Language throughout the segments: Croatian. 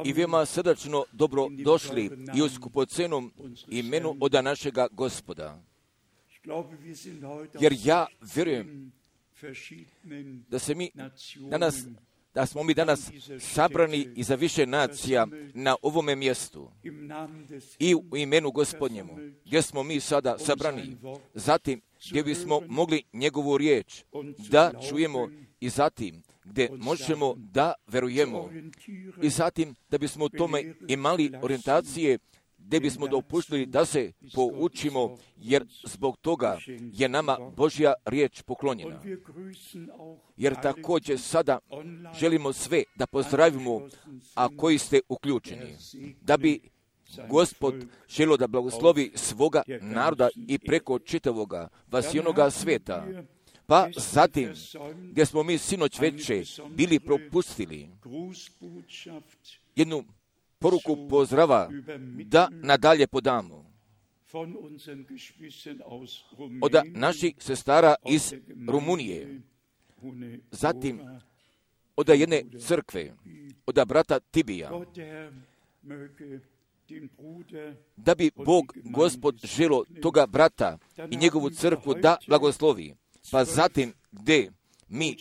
i veoma srdačno dobro došli i u skupocenom imenu oda našega Gospoda. Jer ja vjerujem da smo mi danas sabrani iza više nacija na ovome mjestu i u imenu Gospodnjemu, gdje smo mi sada sabrani. Zatim, gdje bismo mogli njegovu riječ da čujemo i zatim gdje možemo da verujemo i zatim da bismo u tome imali orijentacije, gdje bismo dopuštili da se poučimo, jer zbog toga je nama Božja riječ poklonjena. Jer također sada želimo sve da pozdravimo, a koji ste uključeni, da bi Gospod želio da blagoslovi svoga naroda i preko čitavoga vasijenoga sveta. Pa zatim, gdje smo mi sinoć veče bili propustili jednu poruku pozdrava da nadalje podamo od naših sestara iz Rumunije, zatim od jedne crkve, od brata Tibija, da bi Bog, Gospod, želio toga brata i njegovu crkvu da blagoslovi. Pa zatim gdje mi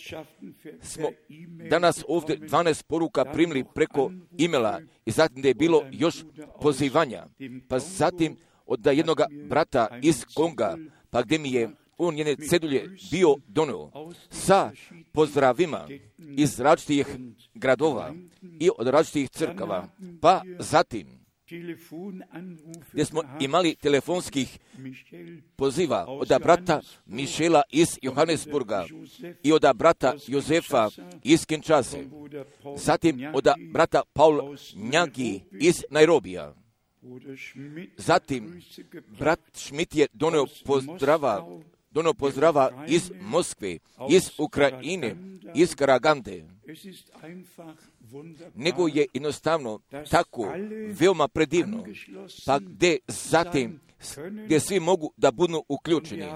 smo danas ovdje 12 poruka primili preko e-maila i zatim da je bilo još pozivanja. Pa zatim od jednog brata iz Konga, pa gdje mi je on njene cedulje bio donio sa pozdravima iz različitih gradova i od različitih crkava. Pa zatim gdje smo imali telefonskih poziva od brata Mišela iz Johannesburga i od brata Jozefa iz Kinshase, zatim od brata Paul Njangi iz Nairobija. Zatim brat Schmidt je donio pozdrava iz Moskve, iz Ukrajine, iz Karagande. Nego je jednostavno tako veoma predivno, pa gdje zatim gdje svi mogu da budu uključeni.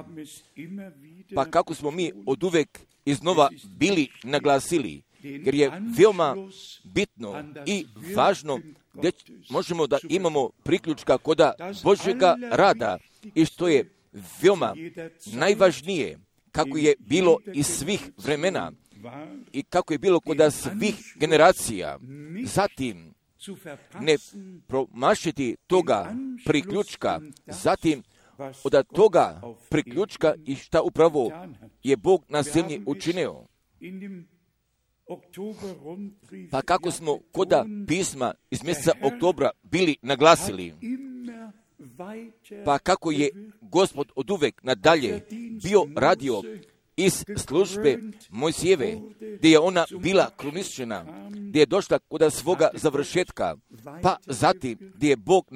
Pa kako smo mi oduvek iznova bili naglasili, jer je veoma bitno i važno gdje možemo da imamo priključka kod Božjega rada i što je veoma najvažnije, kako je bilo iz svih vremena i kako je bilo kod svih generacija. Zatim ne promašiti toga priključka, zatim od toga priključka i šta upravo je Bog na zemlji učinio. Pa kako smo kod pisma iz mjeseca oktobra bili naglasili, pa kako je Gospod oduvek nadalje bio radio iz službe Mojsijeve, gdje je ona bila kruničena, gdje je došla kod svoga završetka, pa zatim gdje je Bog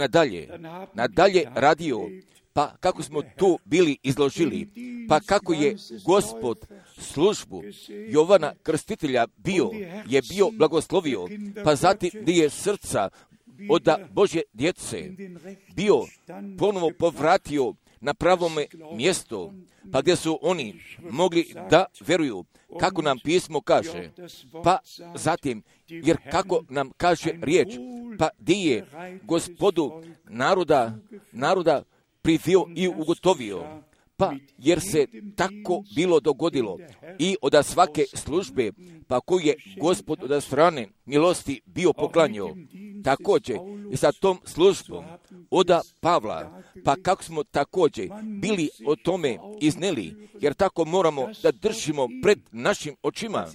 nadalje radio, pa kako smo tu bili izložili, pa kako je Gospod službu Jovana Krstitelja je bio blagoslovio, pa zatim gdje je srca od Božje djece bio ponovo povratio na pravome mjestu, pa gdje su oni mogli da veruju kako nam pismo kaže, pa zatim, jer kako nam kaže riječ, pa gdje je Gospodu naroda privio i ugotovio, pa jer se tako bilo dogodilo i od svake službe, pa koju je Gospod od strane milosti bio poklanjao, također i sa tom službom od Pavla, pa kako smo također bili o tome izneli, jer tako moramo da držimo pred našim očima,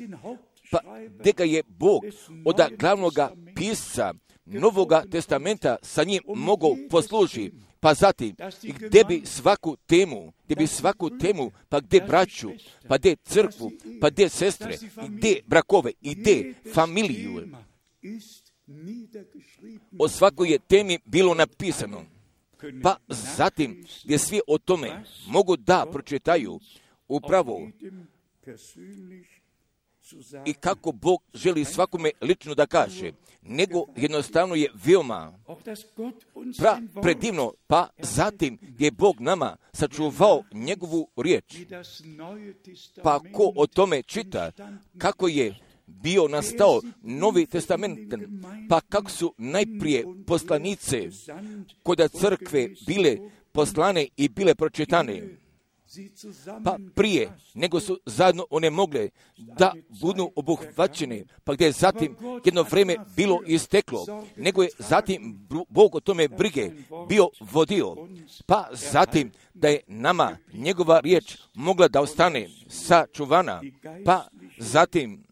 pa gdje ga je Bog od glavnoga pisca Novoga testamenta sa njim mogao posluži, pa zatim gdje bi svaku temu, pa gdje braću, pa gdje crkvu, pa gdje sestre, gdje brakove, i gdje familiju. O svakoj je temi bilo napisano, pa zatim gdje svi o tome mogu da pročitaju upravo i kako Bog želi svakome lično da kaže, nego jednostavno je veoma predivno, pa zatim je Bog nama sačuvao njegovu riječ. Pa ko o tome čita, kako je bio nastao Novi Testament, pa kako su najprije poslanice kod crkve bile poslane i bile pročitane, pa prije nego su zajedno one mogle da budu obuhvaćene, pa gdje je zatim jedno vrijeme bilo isteklo, nego je zatim Bog o tome brige bio vodio, pa zatim da je nama njegova riječ mogla da ostane sačuvana, pa zatim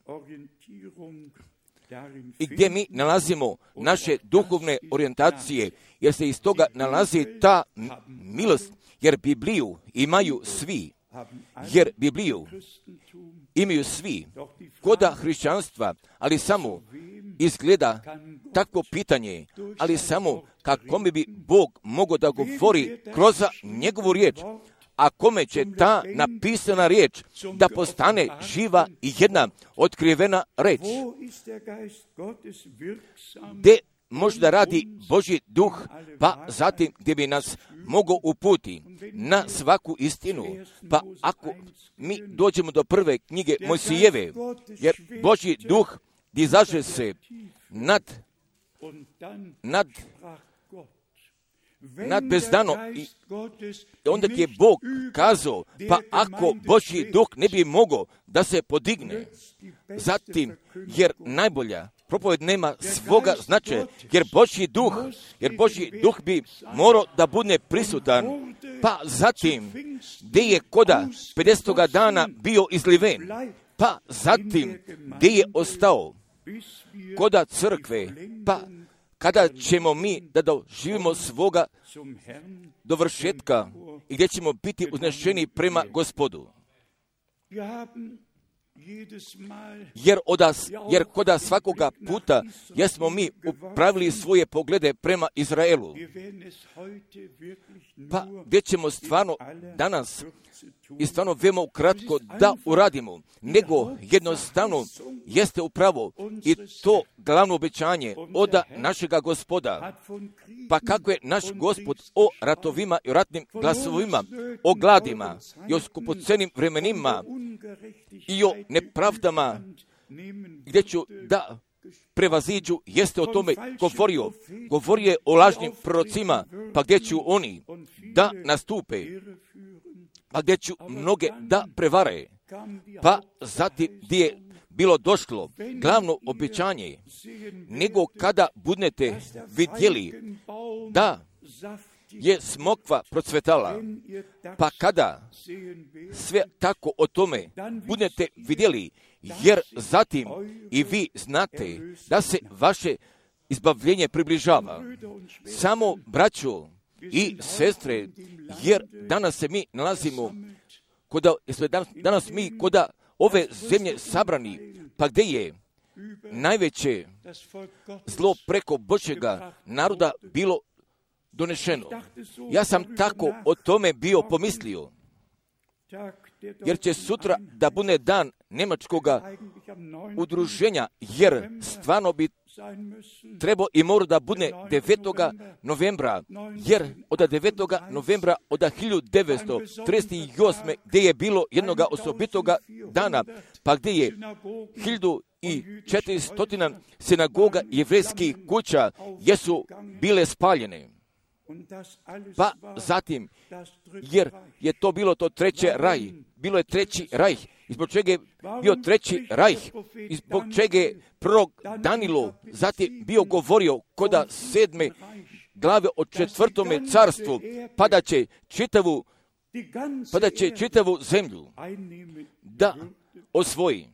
i gdje mi nalazimo naše duhovne orijentacije, jer se iz toga nalazi ta milost, jer Bibliju imaju svi, koda hrišćanstva, ali samo izgleda takvo pitanje, ali samo kakome bi Bog mogao da govori kroz njegovu riječ, a kome će ta napisana riječ da postane živa i jedna otkrivena reč, gdje možda radi Božji duh, pa zatim gdje bi nas mogao uputi na svaku istinu. Pa ako mi dođemo do prve knjige Mojsijeve, jer Božji duh izaže se nad bezdano i onda je Bog kazao, pa ako Božji duh ne bi mogao da se podigne, zatim, jer najbolja propoved nema svoga značaja, jer Božji duh bi morao da bude prisutan, pa zatim, gdje je koda 50. dana bio izliven, pa zatim, gdje je ostao koda crkve, pa kada ćemo mi da doživimo svoga dovršetka i gdje ćemo biti uznešeni prema Gospodu. Jer koda svakoga puta jesmo mi upravili svoje poglede prema Izraelu. Pa gdje ćemo stvarno danas i stvarno veoma ukratko da uradimo, nego jednostavno jeste upravo i to glavno obećanje od našega Gospoda. Pa kako je naš Gospod o ratovima i o ratnim glasovima, o gladima i o skupocenim vremenima i o nepravdama gdje ću da prevaziđu, jeste o tome govorio. Govorio je o lažnim prorocima, pa gdje ću oni da nastupe, pa gdje ću mnoge da prevare. Pa zatim gdje je bilo došlo glavno obećanje, nego kada budete vidjeli da je smokva procvetala, pa kada sve tako o tome budete vidjeli, jer zatim i vi znate da se vaše izbavljenje približava. Samo braćo i sestre, jer danas se mi nalazimo danas mi koda ove zemlje sabrani, pa gdje je najveće zlo preko Božjega naroda bilo donešeno. Ja sam tako o tome bio pomislio, jer će sutra da bude dan Njemačkoga udruženja, jer stvarno bi trebao i mora da bude 9. novembra, jer od 9. novembra od 1938. gdje je bilo jednoga osobitoga dana, pa gdje je 1400 sinagoga jevrejskih kuća jesu bile spaljene. Pa zatim, jer je to bilo to treće raj, bilo je treći raj, izbog čega je bio treći raj, izbog čega je prorok Danilo zatim bio govorio koda 7. glave o 4. carstvu, pa da će čitavu zemlju da osvoji.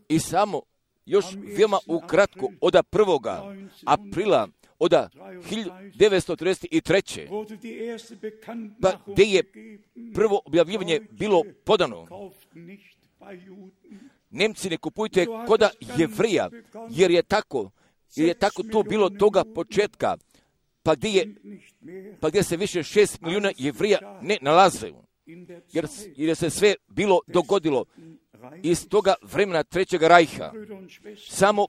I samo još veoma ukratko od 1. aprila od 1933. pa gdje je prvo objavljivanje bilo podano. Nemci ne kupujte koda Jevrija, jer je tako to bilo toga početka, pa gdje se više 6 milijuna Jevrija ne nalaze, jer je se sve bilo dogodilo iz toga vremena Trećega rajha. Samo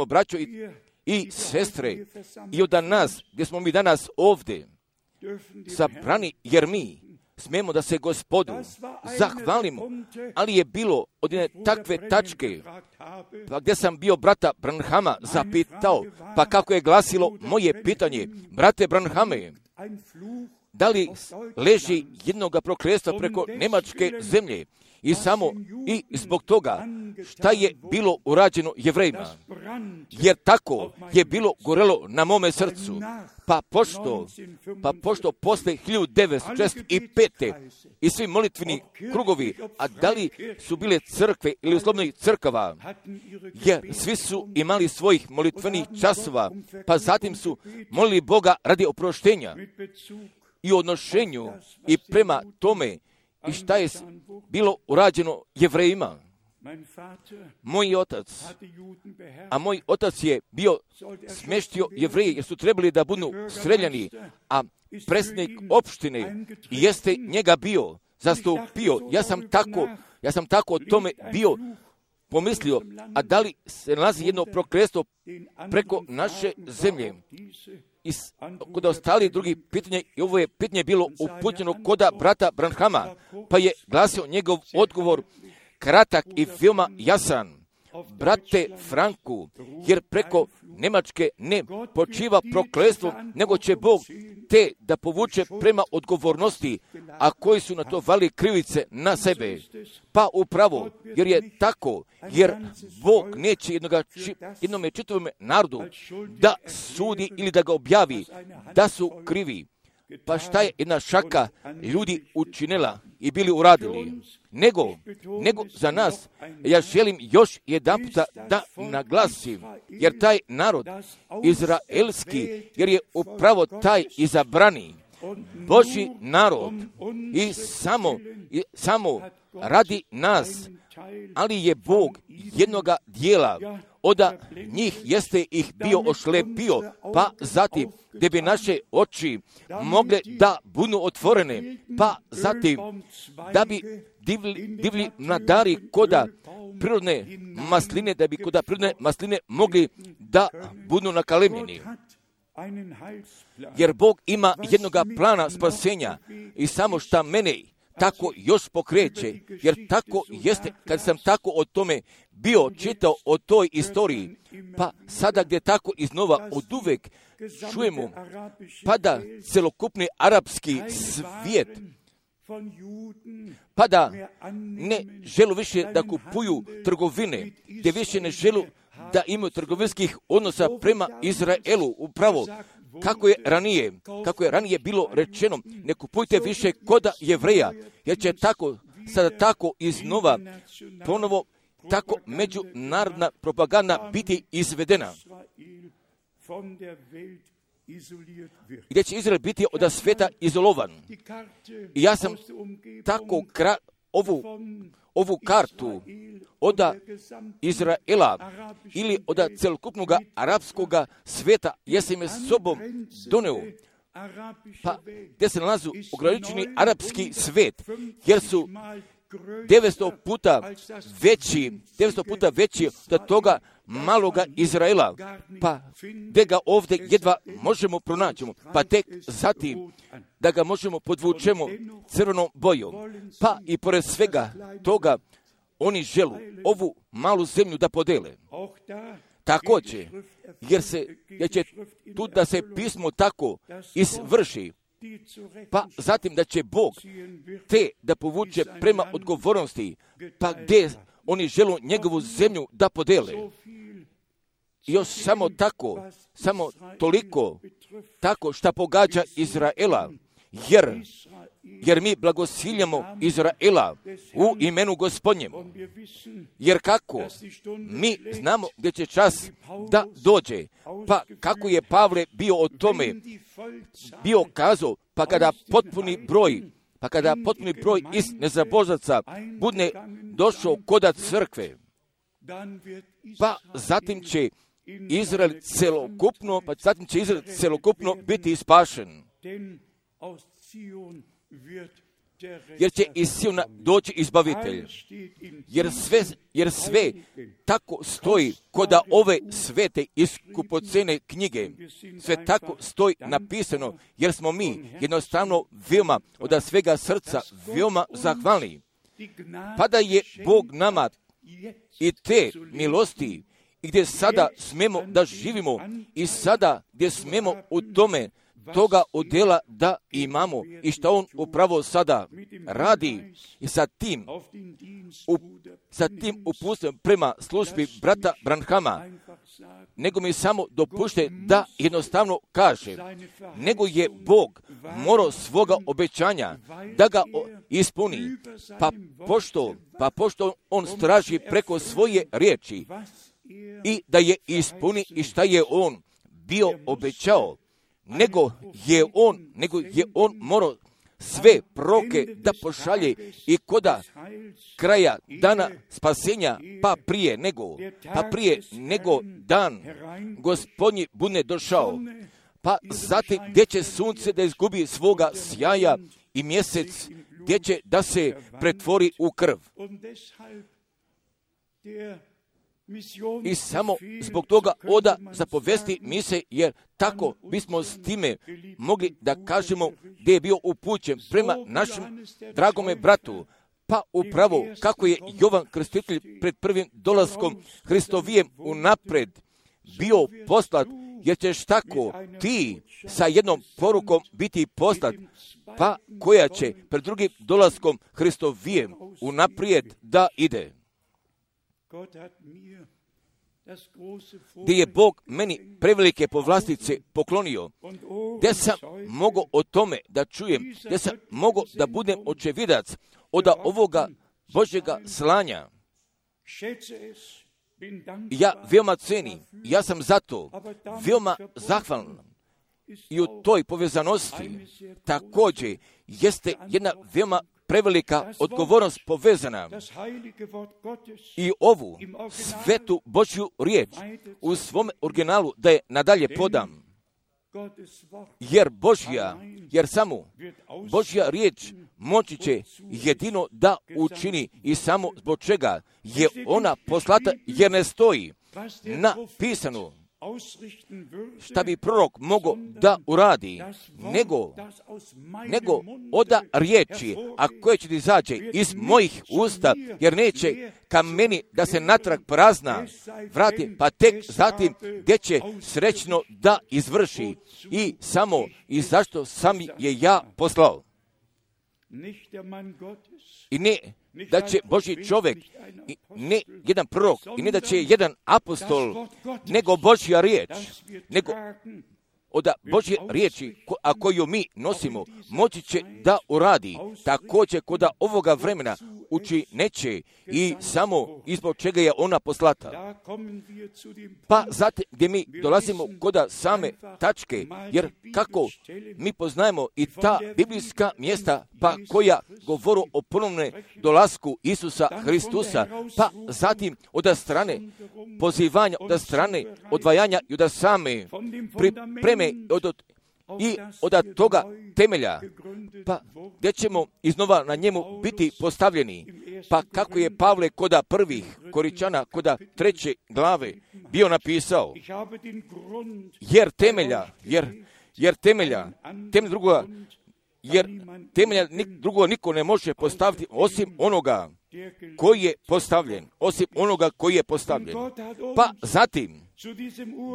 braćo i sestre, i od nas, gdje smo mi danas ovdje sabrani, jer mi smemo da se Gospodu zahvalimo, ali je bilo od jedne takve tačke, pa gdje sam bio brata Branhama zapitao, pa kako je glasilo moje pitanje, brate Branhame, da li leži jednoga prokletstva preko Njemačke zemlje i zbog toga šta je bilo urađeno Jevrejima, jer tako je bilo gorelo na mome srcu, pa pošto posle 1965. i svi molitveni krugovi, a da li su bile crkve ili uslovnih crkava, jer svi su imali svojih molitvenih časova, pa zatim su molili Boga radi oproštenja i odnošenju i prema tome i šta je bilo urađeno Jevrejima. Moj otac je bio smještio Jevreje jer su trebali da budu streljani, a predsjednik opštine jeste njega bio zastupio. Ja sam tako o tome bio pomislio, a da li se nalazi jedno prokletstvo preko naše zemlje? I kod ostalih drugih pitanja, i ovo je pitanje bilo upućeno koda brata Branhama, pa je glasio njegov odgovor kratak i veoma jasan. Brate Franku, jer preko Njemačke ne počiva prokletstvo, nego će Bog te da povuče prema odgovornosti, a koji su na to vali krivice na sebe. Pa upravo, jer je tako, jer Bog neće jednome čitavom narodu da sudi ili da ga objavi, da su krivi. Pa šta je jedna šaka ljudi učinila i bili uradili? Nego za nas, ja želim još jedanputa da naglasim, jer taj narod izraelski, jer je upravo taj izabrani Božji narod i samo radi nas, ali je Bog jednoga dijela od njih jeste ih bio ošlepio, pa zatim da bi naše oči mogle da budu otvorene, pa zatim da bi divlji mladari koda prirodne masline, da bi koda prirodne masline mogli da budu nakalemljeni. Jer Bog ima jednoga plana spasenja i samo šta mene tako još pokreće, jer tako jeste, kad sam tako o tome bio čitao o toj istoriji, pa sada gdje tako iznova od uvek čujemo, pa da celokupni arapski svijet, pa da ne želu više da kupuju trgovine, gdje više ne želu da imaju trgovinskih odnosa prema Izraelu, upravo kako je ranije bilo rečeno, ne kupujte više koda Jevreja, jer će tako, sada tako iznova, ponovo tako međunarodna propaganda biti izvedena. Gdje će Izrael biti od svijeta izolovan. I ja sam tako ovu kartu od Izraela ili od celokupnog arapskog svijeta, jesam je sobom doneo, pa gdje se nalazi ograničeni arapski svijet, jer su 900 puta veći od toga maloga Izraela, pa gdje ga ovdje jedva možemo pronaći, pa tek zatim da ga možemo podvučemo crvenom bojom, pa i pored svega toga oni želu ovu malu zemlju da podele. Također, jer će tu da se pismo tako izvrši, pa zatim da će Bog te da povuče prema odgovornosti, pa gdje oni želu njegovu zemlju da podele. Još samo toliko tako šta pogađa Izraela, jer mi blagosiljamo Izraela u imenu Gospodnjem. Jer kako? Mi znamo gdje će čas da dođe. Pa kako je Pavle bio o tome bio kazao, pa kada potpuni broj iz nezabožaca bude došao koda crkve, pa zatim će Izrael celokupno biti ispašen. jer će iz Siona doći izbavitelj. Jer sve tako stoji kod ove svete i skupocene knjige. Sve tako stoji napisano, jer smo mi jednostavno veoma od svega srca veoma zahvalni. Pa da je Bog nama i te milosti, i gdje sada smemo da živimo, i sada gdje smemo u tome toga udjela da imamo, i što on upravo sada radi, i sa tim upustom prema službi brata Branhama, nego mi samo dopušte da jednostavno kaže, nego je Bog morao svoga obećanja da ga ispuni, pa pošto on straži preko svoje riječi i da je ispuni i šta je on bio obećao, nego je on morao sve proroke da pošalje i koda kraja dana spasenja, pa prije nego dan Gospodnji bude došao, pa zatim gdje će sunce da izgubi svoga sjaja i mjesec gdje će da se pretvori u krv. I samo zbog toga oda zapovesti mise, jer tako bismo s time mogli da kažemo gdje je bio upućen prema našem dragome bratu, pa upravo kako je Jovan Krstitelj pred prvim dolaskom Hristovijem unapred bio poslat, jer ćeš tako ti sa jednom porukom biti poslat, pa koja će pred drugim dolaskom Hristovijem unaprijed da ide. Gdje je Bog meni prevelike povlastice poklonio, gdje sam mogao o tome da čujem, gdje sam mogao da budem očevidac od ovoga Božjega slanja. Ja veoma cenim, ja sam zato veoma zahvalan. I u toj povezanosti također jeste jedna veoma prevelika odgovornost povezana, i ovu svetu Božju riječ u svom originalu da je nadalje podam, jer samo Božja riječ moći će jedino da učini, i samo zbog čega je ona poslata, jer ne stoji napisano šta bi prorok mogao da uradi, nego oda riječi, a koje će izađe iz mojih usta, jer neće ka meni da se natrag prazna vrati, pa tek zatim gdje će srećno da izvrši, i samo i zašto sam je ja poslao. I ne da će Božji čovjek, ne jedan prorok, i ne da će jedan apostol, nego Božja riječ, nego od Božje riječi, a koju mi nosimo, moći će da uradi također kod ovoga vremena neće, i samo izbog čega je ona poslata. Pa zatim gdje mi dolazimo kod same tačke, jer kako mi poznajemo i ta biblijska mjesta, pa koja govoru o ponovnom dolasku Isusa Hristusa, pa zatim od strane pozivanja, od strane odvajanja i od same pripreme i od toga temelja, pa gdje ćemo iznova na njemu biti postavljeni, pa kako je Pavle koda prvih Koričana, koda 3. glave bio napisao, jer temelja drugo niko ne može postaviti osim onoga koji je postavljen, pa zatim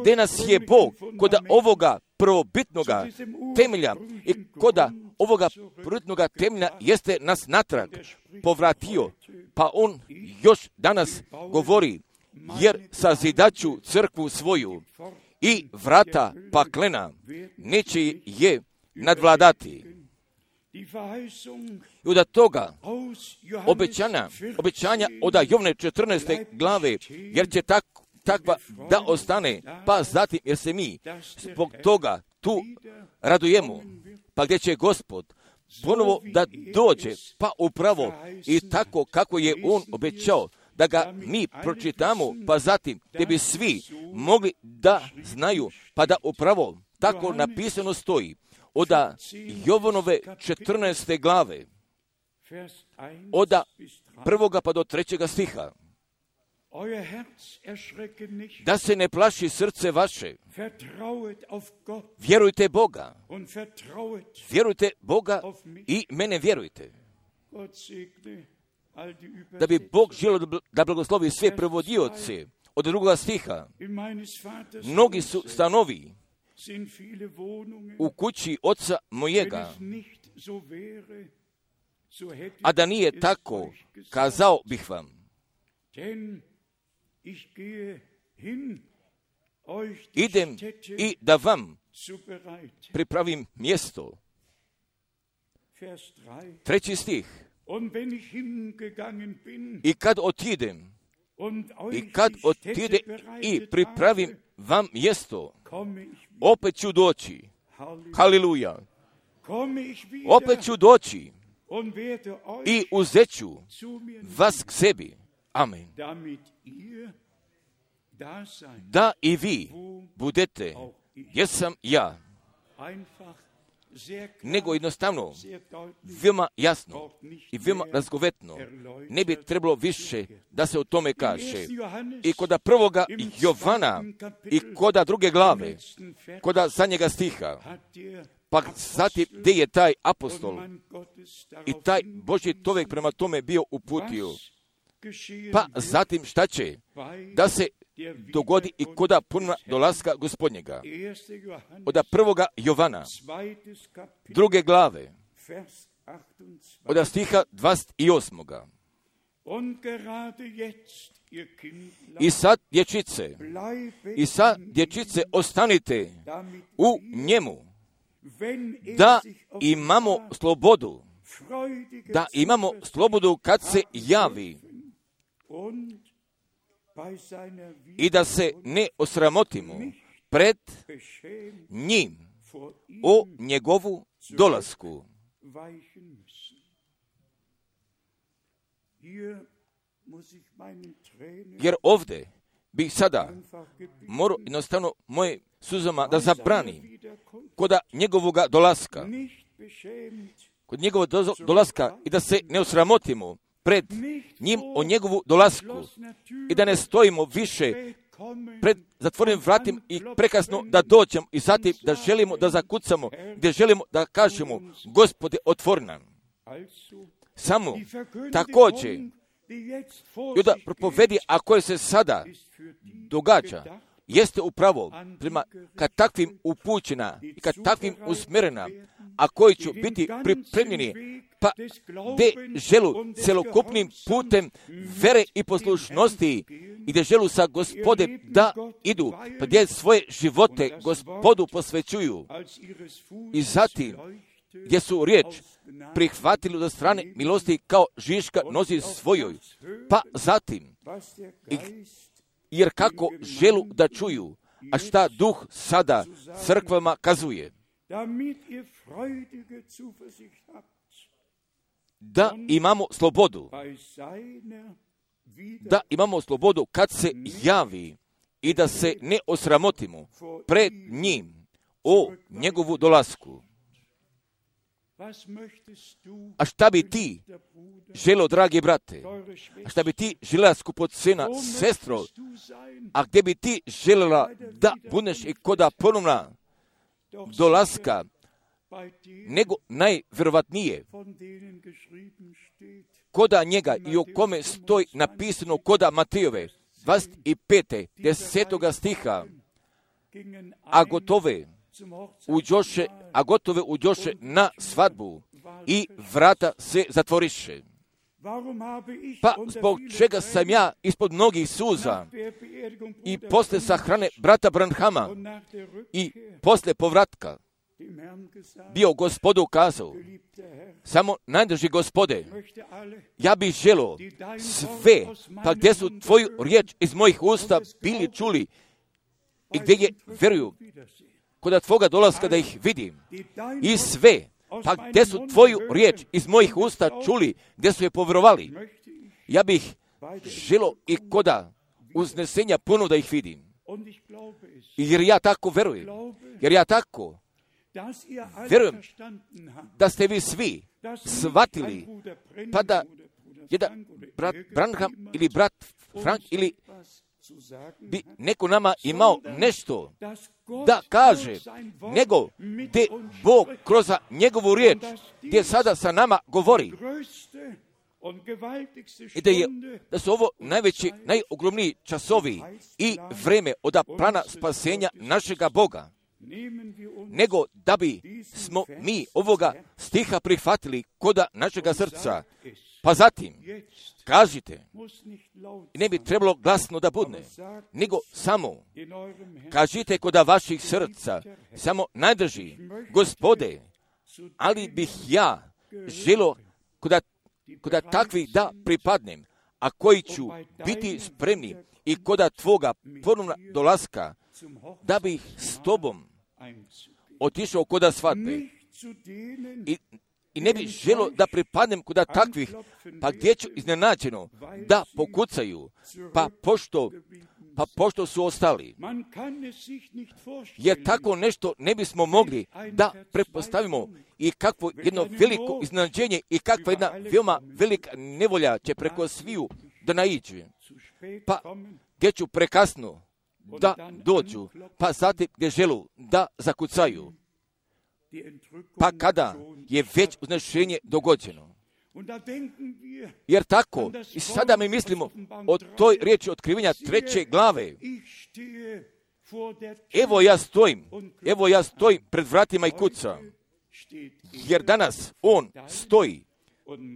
gdje nas je Bog kod ovoga prvobitnoga temelja i kod ovoga prvobitnoga temelja jeste nas natrag povratio, pa on još danas govori, jer sazidaću crkvu svoju i vrata paklena neće je nadvladati. I od toga obećanja od Jovne 14. glave, jer će takva da ostane, pa zatim jer se mi zbog toga tu radujemo, pa gdje će Gospod ponovo da dođe, pa upravo i tako kako je on obećao da ga mi pročitamo, pa zatim gdje bi svi mogli da znaju, pa da upravo tako napisano stoji od Jovanove 14. glave. od 1. pa do 3. stiha. Da se ne plaši srce vaše. Vjerujte Boga. Vjerujte Boga i mene vjerujte. Da bi Bog želio da blagoslovi sve prevodioce od 2. stiha. Mnogi su stanovi u kući oca mojega. A da nije tako, kazao bih vam. Idem i da vam pripravim mjesto. 3. stih. I kad otidem i pripravim vam mjesto, opet ću doći. Haleluja. Opet ću doći i uzet ću vas k sebi. Amen. Da i vi budete, jesam ja. Nego jednostavno, veoma jasno i veoma razgovetno, ne bi trebalo više da se o tome kaže. I koda 1. Jovana i koda 2. glave, koda zadnjega stiha, pa zatim gdje je taj apostol i taj Božji čovjek prema tome bio uputio. Pa zatim šta će? Da se dogodi i koda punog dolaska Gospodnjega. Od 1. Jovana, 2. glave, od stiha 28. I sad dječice ostanite u njemu, da imamo slobodu kad se javi i da se ne osramotimo pred njim o njegovu dolasku. Jer ovdje bih sada morao jednostavno moje suzama da zabranim kod njegovoga dolaska. Kod njegovog dolaska i da se ne osramotimo pred njim o njegovu dolasku i da ne stojimo više pred zatvorenim vratim i prekasno da dođemo i zatim da želimo da zakucamo, gdje želimo da kažemo Gospode otvori nam. Samo također i da propovedi, a koje se sada događa, jeste upravo prema kad takvim upućena i kad takvim usmjerena, a koji će biti pripremljeni, pa gdje želu celokupnim putem vere i poslušnosti i gdje želu sa Gospodem da idu, pa gdje svoje živote Gospodu posvećuju i zatim gdje su riječ prihvatili od strane milosti kao žiška nozi svojoj, pa zatim jer kako želu da čuju, a šta duh sada crkvama kazuje. Da imamo slobodu. Da imamo slobodu kad se javi i da se ne osramotimo pred njim o njegovu dolasku. A šta bi ti želio, dragi brate? A šta bi ti željela, skupocena sestro? A gdje bi ti željela da budeš i koda ponovna dolaska, nego najvjerovatnije koda njega i o kome stoji napisano koda Matejove 25. 10. stiha, a gotove uđoše na svadbu i vrata se zatvoriše. Pa zbog čega sam ja ispod mnogih suza i posle sahrane brata Branhama i posle povratka bio Gospodu kazao, samo najdrži Gospode, ja bih želio sve, pa gdje su tvoju riječ iz mojih usta bili čuli i gdje je vjeruju kod tvoga dolaska da ih vidim i sve, pa gdje su tvoju riječ iz mojih usta čuli, gdje su je povjerovali, ja bih želio i koda uznesenja puno da ih vidim. Jer ja tako vjerujem, jer ja tako vjerujem da ste vi svi shvatili, pa da jedan brat Branham ili brat Frank ili bi neko nama imao nešto da kaže, nego gdje Bog kroz njegovu riječ, gdje sada sa nama govori, i da su ovo najveći, najogromniji časovi i vreme od plana spasenja našega Boga, nego da bi smo mi ovoga stiha prihvatili koda našega srca. Pa zatim, kažite, ne bi trebalo glasno da budne, nego samo kažite koda vaših srca, samo najdrži, Gospode, ali bih ja želio koda takvih da pripadnem, a koji ću biti spremni i koda tvoga ponovna dolaska, da bih s tobom otišao koda svadbe. I ne bih želio da pripadnem koda takvih, pa gdje ću iznenađeno da pokucaju, pa pošto su ostali. Jer tako nešto ne bismo mogli da pretpostavimo i kakvo jedno veliko iznenađenje i kakva jedna veoma velika nevolja će preko sviju da naiđe. Pa gdje ću prekasno da dođu, pa zatim gdje želu da zakucaju. Pa kada je već uznešenje dogođeno. Jer tako, i sada mi mislimo o toj riječi otkrivenja 3. glave. Evo ja stojim pred vratima i kucam. Jer danas on stoji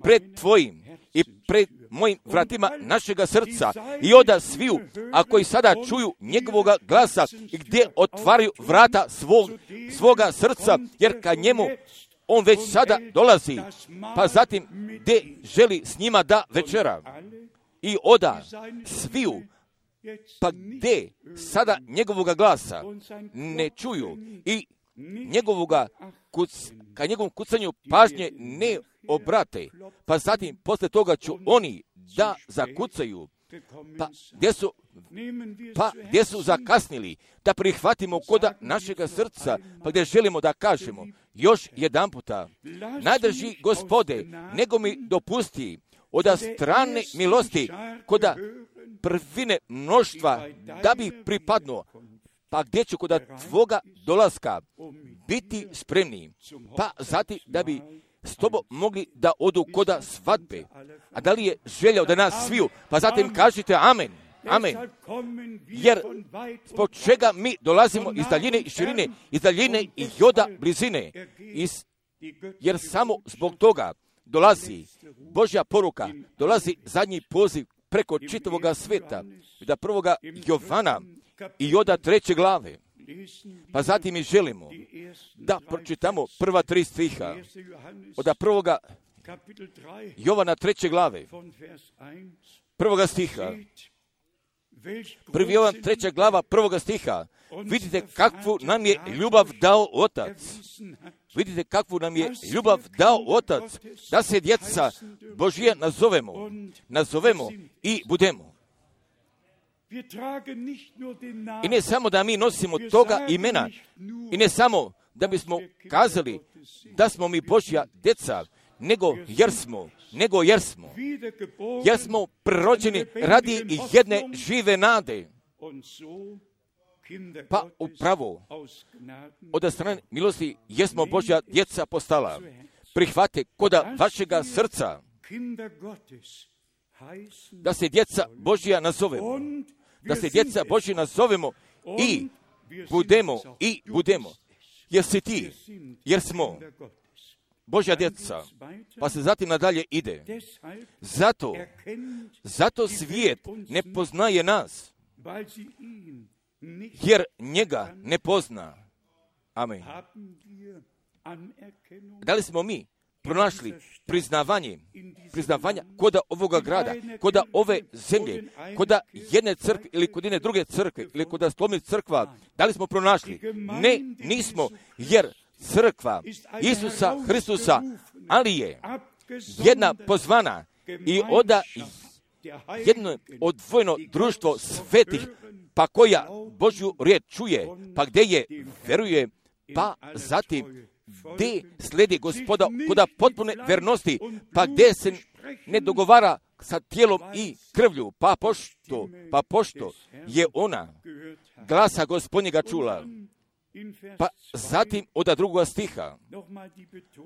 pred tvojim i pred mojim vratima našega srca i oda sviju, a koji sada čuju njegovoga glasa i gdje otvaraju vrata svoga srca, jer ka njemu on već sada dolazi, pa zatim gdje želi s njima da večera. I oda sviju, pa gdje sada njegovoga glasa ne čuju i ka njegovom kucanju pažnje ne obrate, pa zatim posle toga ću oni da zakucaju, gdje su zakasnili da prihvatimo koda našega srca, pa gdje želimo da kažemo još jedan puta, najdrži Gospode, nego mi dopusti od strane milosti koda prvine mnoštva da bi pripadnuo, pa gdje ću koda tvoga dolaska biti spremni, pa zatim da bi s tobom mogli da odu koda svadbe. A da li je želja da nas sviju? Pa zatim kažite amen. Amen. Jer zbog čega mi dolazimo iz daljine i širine, iz daljine i joda blizine, jer samo zbog toga dolazi Božja poruka, dolazi zadnji poziv preko čitavoga sveta, da 1. Jovana i joda 3. glave. Pa zatim mi želimo da pročitamo prva 3 stiha od 1. Jovana 3. glave, 1. stiha. 1. Jovan 3. glava 1. stiha. Vidite kakvu nam je ljubav dao Otac. Vidite kakvu nam je ljubav dao Otac, da se djeca Božija nazovemo i budemo. I ne samo da mi nosimo toga imena, i ne samo da bismo kazali da smo mi Božja djeca, nego jer smo prerođeni radi i jedne žive nade. Pa upravo od strane milosti jesmo Božja djeca postala. Prihvate koda vašega srca da se djeca Božja nazovemo. Da se djeca Božja nazovemo i budemo. Jer si ti, jer smo Božja djeca. Pa se zatim nadalje ide. Zato svijet ne poznaje nas, jer njega ne pozna. Amen. Da li smo mi pronašli priznavanja koda ovoga grada, koda ove zemlje, koda jedne crkve ili kod jedne druge crkve ili koda slomnih crkva? Da li smo pronašli? Ne, nismo, jer crkva Isusa Hristusa, ali je jedna pozvana i oda jedno odvojeno društvo svetih, pa koja Božju riječ čuje, pa gdje je veruje, pa zatim gdje slijedi Gospoda koda potpune vernosti, pa gdje se ne dogovara sa tijelom i krvlju, pa pošto je ona glasa Gospodnjega čula. Pa zatim od drugoga stiha,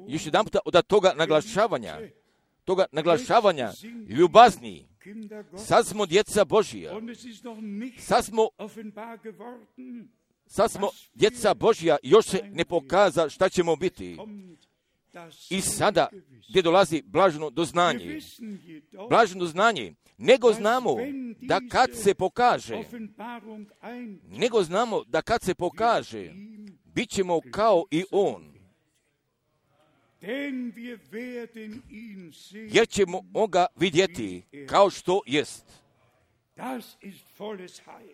još jedan puta od toga naglašavanja ljubazni, sad smo djeca Božija, sad smo djeca Božja, još se ne pokaza šta ćemo biti. I sada gdje dolazi blaženo doznanje, nego znamo da kad se pokaže, bit ćemo kao i on. Jer ćemo ga vidjeti kao što jest.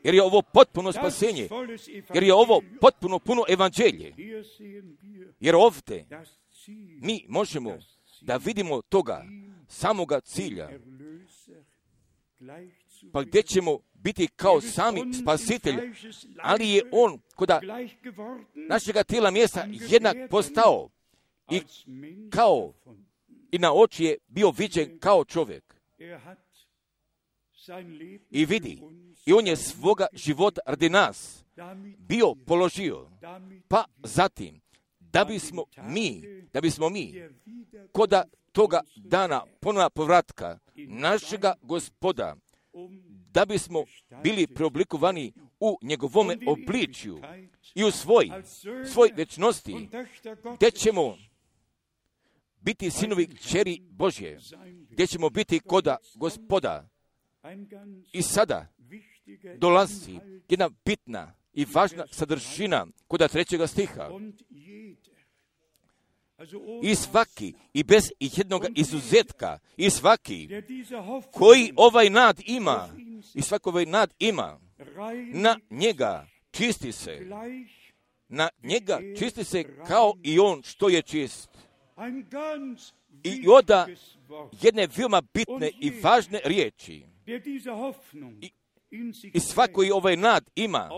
Jer je ovo potpuno spasenje. Jer je ovo potpuno puno evanđelje. Jer ovdje mi možemo da vidimo toga samoga cilja. Pa gdje ćemo biti kao sami spasitelj, ali je on koda našega tijela mjesta jednak postao i na oči je bio viđen kao čovjek. I vidi, i on je svoga života radi nas bio položio, pa zatim da bismo mi koda toga dana ponovna povratka našega Gospoda, da bismo bili preoblikovani u njegovome obličju i u svoj večnosti, gdje ćemo biti sinovi kćeri Božje, gdje ćemo biti koda Gospoda. I sada dolazi jedna bitna i važna sadržina koda 3. stiha. I svaki, i bez jednog izuzetka, i svaki koji ovaj nad ima, na njega čisti se kao i on što je čist. I oda jedne veoma bitne i važne riječi. I svako koji ovaj nad ima,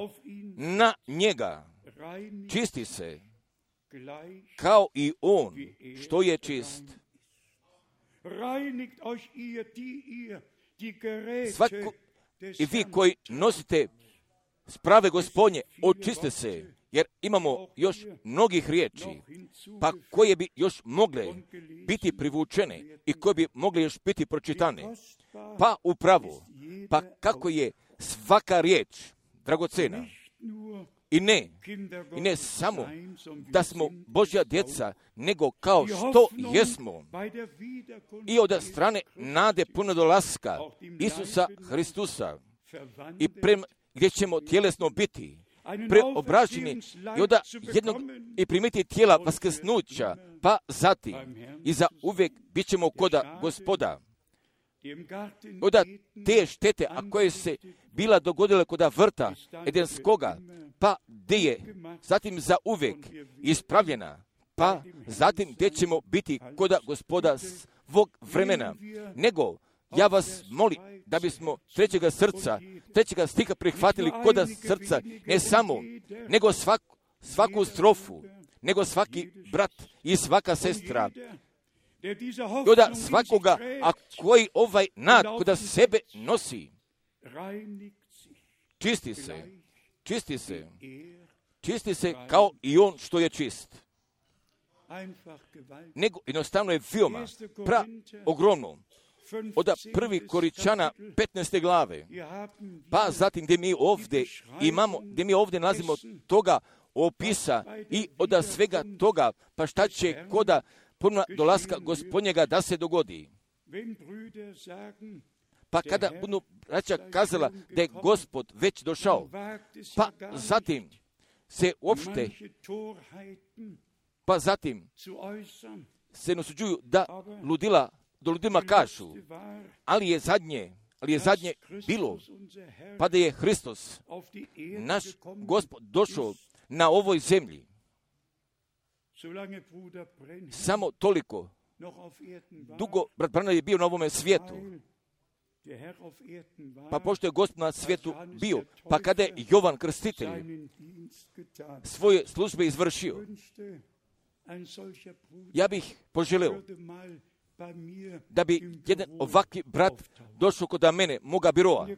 na njega čisti se kao i on što je čist. Svako i vi koji nosite sprave Gospodnje, očiste se, jer imamo još mnogih riječi, pa koje bi još mogle biti privučene i koje bi mogle još biti pročitane. Pa upravo, pa kako je svaka riječ dragocena. I ne samo da smo Božja djeca, nego kao što jesmo i od strane nade puno dolaska Isusa Hristusa i gdje ćemo tjelesno biti preobraženi i primiti tijela vaskrsnuća, pa zatim i za uvijek bit ćemo koda Gospoda. Od te štete, a koje se bila dogodile koda vrta Edenskoga, pa gdje je zatim za uvijek ispravljena, pa zatim gdje ćemo biti koda Gospoda svog vremena. Nego, ja vas molim da bismo trećega stiha prihvatili koda srca, ne samo, nego svaku strofu, nego svaki brat i svaka sestra, koda svakoga, a koji ovaj nad koda sebe nosi, čisti se kao i on što je čist. Nego jednostavno je veoma ogromno. Od 1. Koričana 15. glave, pa zatim gdje mi ovdje nalazimo toga opisa i od svega toga, pa šta će koda ponovna dolaska Gospodnjega da se dogodi. Pa kada budu braća kazala da je Gospod već došao, pa zatim se uopšte, pa zatim se nasuđuju da ludima kažu, ali je zadnje bilo, pa da je Hristos, naš Gospod, došao na ovoj zemlji. Samo toliko dugo brat Branham je bio na ovome svijetu. Pa pošto je Gospod na svijetu bio, pa kada je Jovan Krstitelj svoje službe izvršio, Ja bih poželio da bi jedan ovakvi brat došao kod mene, moga biroa.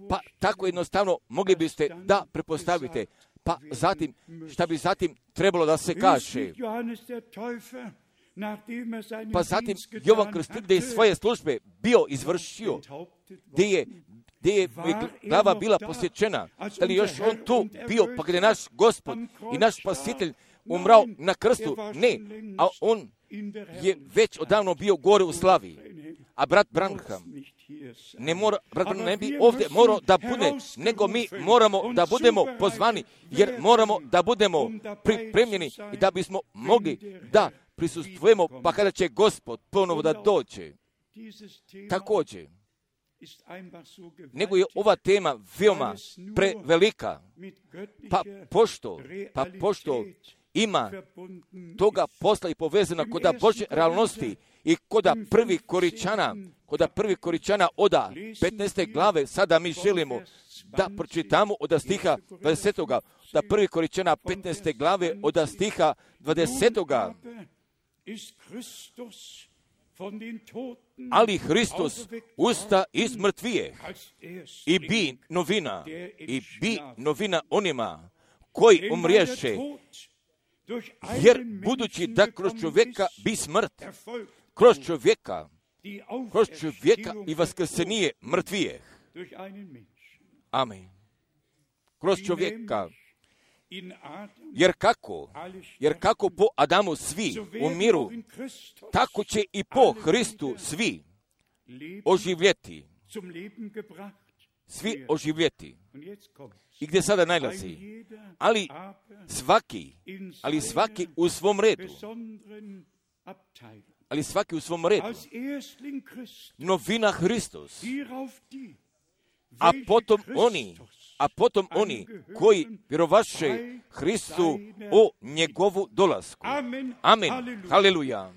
Pa tako jednostavno mogli biste da prepostavite. Pa zatim, šta bi zatim trebalo da se kaže? Pa zatim Jovan Krstitelj, gdje je svoje službe bio izvršio, gdje je glava bila posjećena, da li još on tu bio, pa gdje je naš Gospod i naš Spasitelj umrao na krstu? Ne, a on je već odavno bio gore u slavi. A brat Branham ne bi ovdje morao da bude, nego mi moramo da budemo pozvani, jer moramo da budemo pripremljeni i da bismo mogli da prisustvujemo, pa kada će Gospod ponovo da dođe. Također, nego je ova tema veoma prevelika, pa pošto ima toga posla i povezana koda Božje realnosti i koda prvi Koričana oda 15. glave, sada mi želimo da pročitamo od stiha 20. Da prvi Koričana 15. glave od stiha 20. Ali Hristos usta iz mrtvijeh i bi novina onima koji umriješe, jer budući da kroz čovjeka bi smrt, kroz čovjeka i vaskrsenije mrtvijeh. Amen. Kroz čovjeka. Jer kako po Adamu svi umiru, tako će i po Hristu svi oživjeti. Svi oživjeti. I gdje sada najlazi? Ali svaki u svom redu. Ali svaki u svom redu. Novina Hristos. A potom oni koji vjerovaše Hristu o njegovu dolasku. Amen. Haleluja.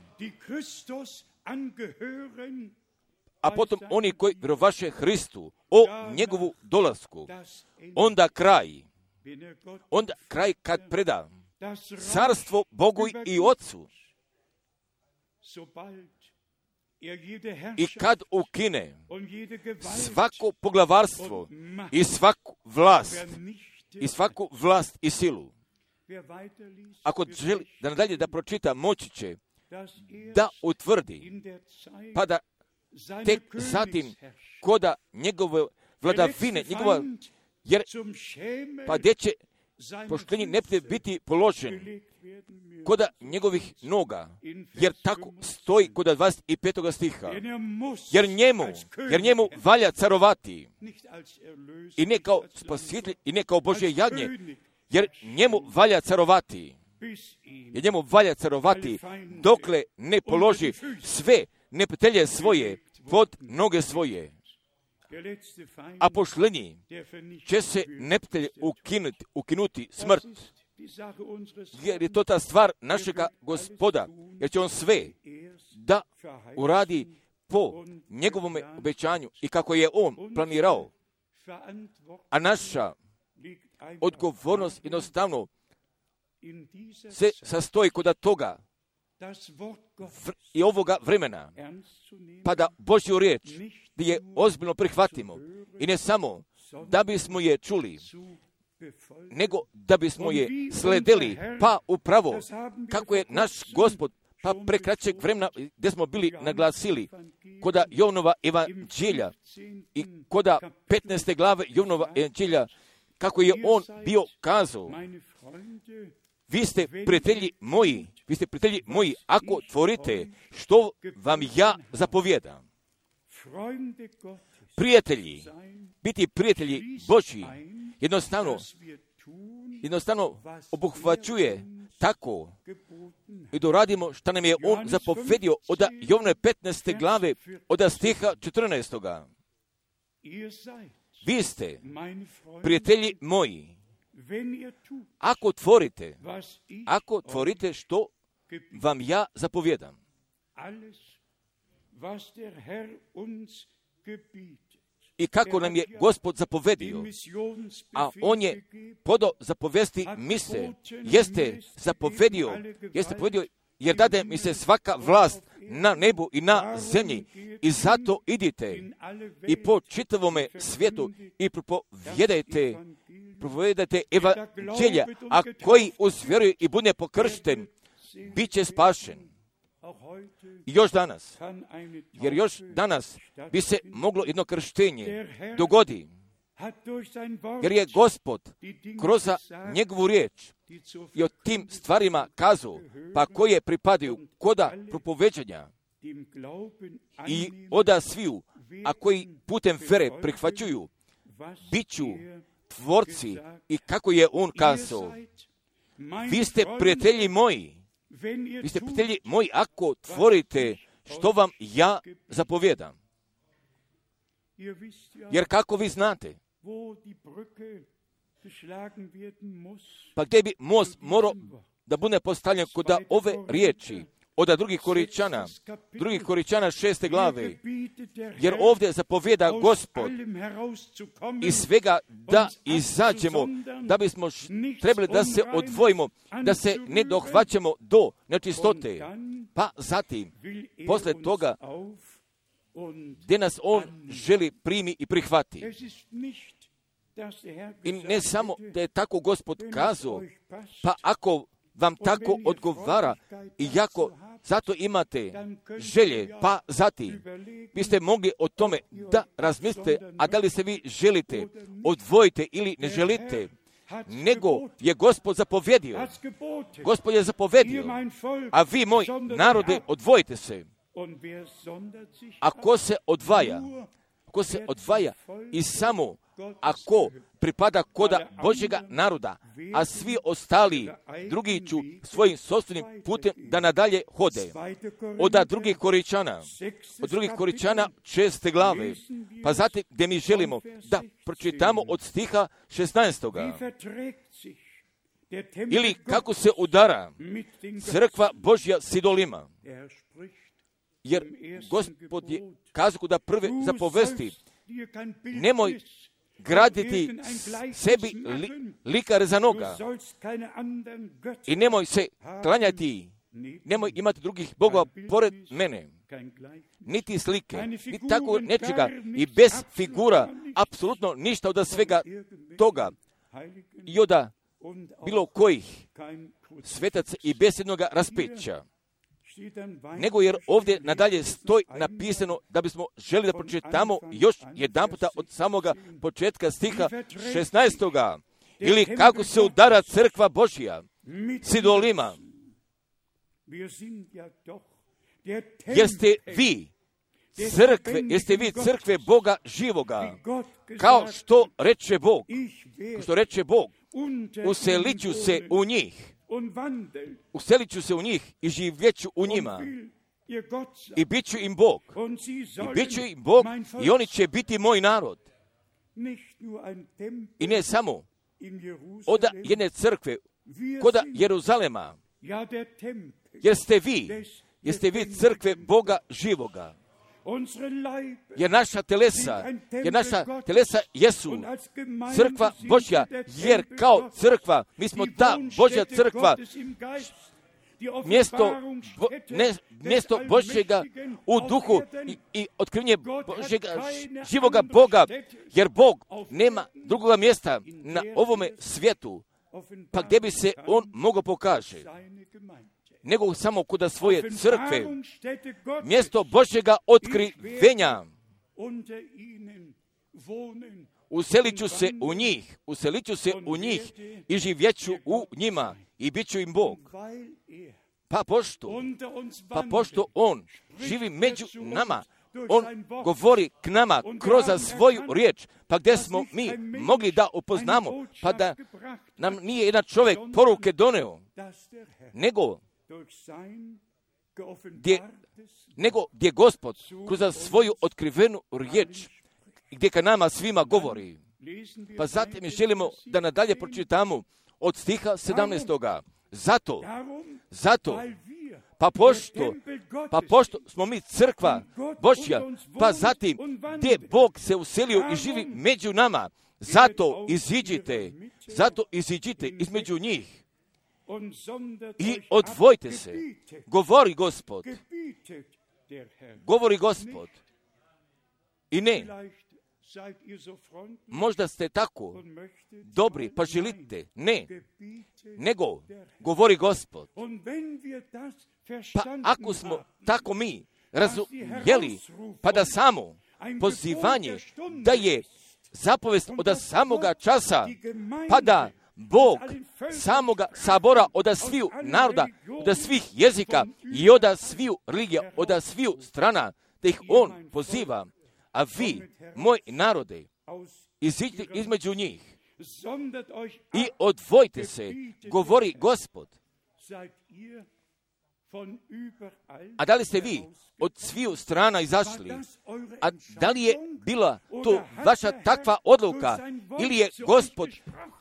A potom oni koji vjerovaše Hristu o njegovu dolasku. Onda kraj kad preda carstvo Bogu i Otcu. I kad ukine svako poglavarstvo i svaku vlast i silu. Ako želi da nadalje da pročita, moći će da utvrdi, pa da tek zatim koda njegove vladavine, jer pa gdje će poštenji neprijatelj biti položen koda njegovih noga, jer tako stoji koda 25. stiha. Jer njemu valja carovati, i ne kao spasitelj, i ne kao Božje jagnje, jer njemu valja carovati. Jer njemu valja carovati dokle ne položi sve neprijatelje svoje pod noge svoje. A poštenji će se neprijatelj ukinuti smrt. Jer je to ta stvar našega Gospoda, jer će on sve da uradi po njegovom obećanju i kako je on planirao. A naša odgovornost jednostavno se sastoji kod toga i ovoga vremena, pa da Božju riječ da je ozbiljno prihvatimo i ne samo da bismo je čuli, nego da bismo je sledili, pa upravo kako je naš Gospod pa prekraćeg vremena gdje smo bili naglasili koda Jovanova evanđelja i koda 15. glave Jovanova evanđelja, kako je on bio kazao: vi ste prijatelji moji, ako tvorite što vam ja zapovjedam. Prijatelji, biti prijatelji Božji, jednostavno obuhvaćuje tako i da radimo što nam je on zapovjedio od Jovne 15. glave od stiha 14. Vi ste prijatelji moji, ako tvorite što vam ja zapovjedam. i kako nam je Gospod zapovedio, a on je podao zapovesti mise, jeste zapovedio, jer dade mi se svaka vlast na nebu i na zemlji, i zato idite i po čitavome svijetu i propovedajte evanđelja, a koji uzvjeruje i bude pokršten, bit će spašen. I još danas, jer još danas bi se moglo jedno krštenje dogodi, jer je Gospod kroz njegovu riječ i o tim stvarima kazao, pa koje pripadaju koda propoveđanja i oda sviju, a koji putem vere prihvaćuju, bit ću tvorci i kako je on kazao, vi ste prijatelji moji, ako tvorite što vam ja zapovjedam. Jer kako vi znate, pa gdje bi most morao da bude postavljen kod ove riječi, od drugih Koričana 6. glave, jer ovdje zapovjeda Gospod iz svega da izađemo, da bismo trebali da se odvojimo, da se ne dohvaćamo do nečistote, pa zatim, posle toga, gdje nas on želi primi i prihvati. I ne samo da je tako Gospod kazao, pa ako vam tako odgovara i ako zato imate želje, pa zatim biste mogli o tome da razmislite, a da li se vi želite, odvojite ili ne želite, nego je Gospod zapovjedio. Gospod je zapovjedio, a vi, moj narode, odvojite se. A ko se odvaja i samo ako pripada koda Božjega naroda, a svi ostali drugi ću svojim sopstvenim putem da nadalje hode. Od drugih Koričana 6. glave, pa zatim gdje mi želimo da pročitamo od stiha 16. Ili kako se udara crkva Božja s idolima. Jer Gospod je kazao da prve zapovesti, nemoj graditi sebi likar za noga i nemoj se klanjati, nemoj imati drugih bogova pored mene, niti slike, niti tako nečega i bez figura, apsolutno ništa od svega toga i od bilo kojih svetaca i bez jednoga raspeća. Nego jer ovdje nadalje stoji napisano da bismo želi da pročitamo još jedan puta od samoga početka stiha 16. Ili kako se udara crkva Božja s idolima. Jeste vi crkve Boga živoga, kao što reče Bog, uselit ću se u njih i živjeću u njima i bit ću im Bog i oni će biti moj narod. I ne samo od jedne crkve kod Jeruzalema, jer ste vi crkve Boga živoga. Jer naša telesa jesu crkva Božja, jer kao crkva, mi smo ta Božja crkva, mjesto Božjega u duhu i otkrivenje Božjega živoga Boga, jer Bog nema drugoga mjesta na ovome svijetu, pa gdje bi se on mogao pokaže, nego samo kod svoje crkve, mjesto Božjega otkrivenja. Uselit ću se u njih i živjeću u njima i bit ću im Bog. Pa pošto on živi među nama, on govori k nama kroz svoju riječ, pa gdje smo mi mogli da upoznamo, pa da nam nije jedan čovjek poruke doneo, nego gdje Gospod kroz svoju otkrivenu riječ, gdje ka nama svima govori. Pa zatim mi želimo da nadalje pročitamo od stiha 17. Zato, Pa pošto smo mi crkva Božja, pa zatim gdje Bog se uselio i živi među nama, zato iziđite između njih i odvojite se. Govori Gospod. I ne, možda ste tako dobri, pa želite. Ne, nego govori Gospod. Pa ako smo tako mi razumjeli, pa da samo pozivanje da je zapovest od samoga časa, pa da Bog samoga sabora od sviju naroda, od svih jezika i od sviju religija, od sviju strana, da ih On poziva, a vi, moj narode, iziđite između njih i odvojite se, govori Gospod. A da li ste vi od sviju strana izašli? A da li je bila to vaša takva odluka? Ili je Gospod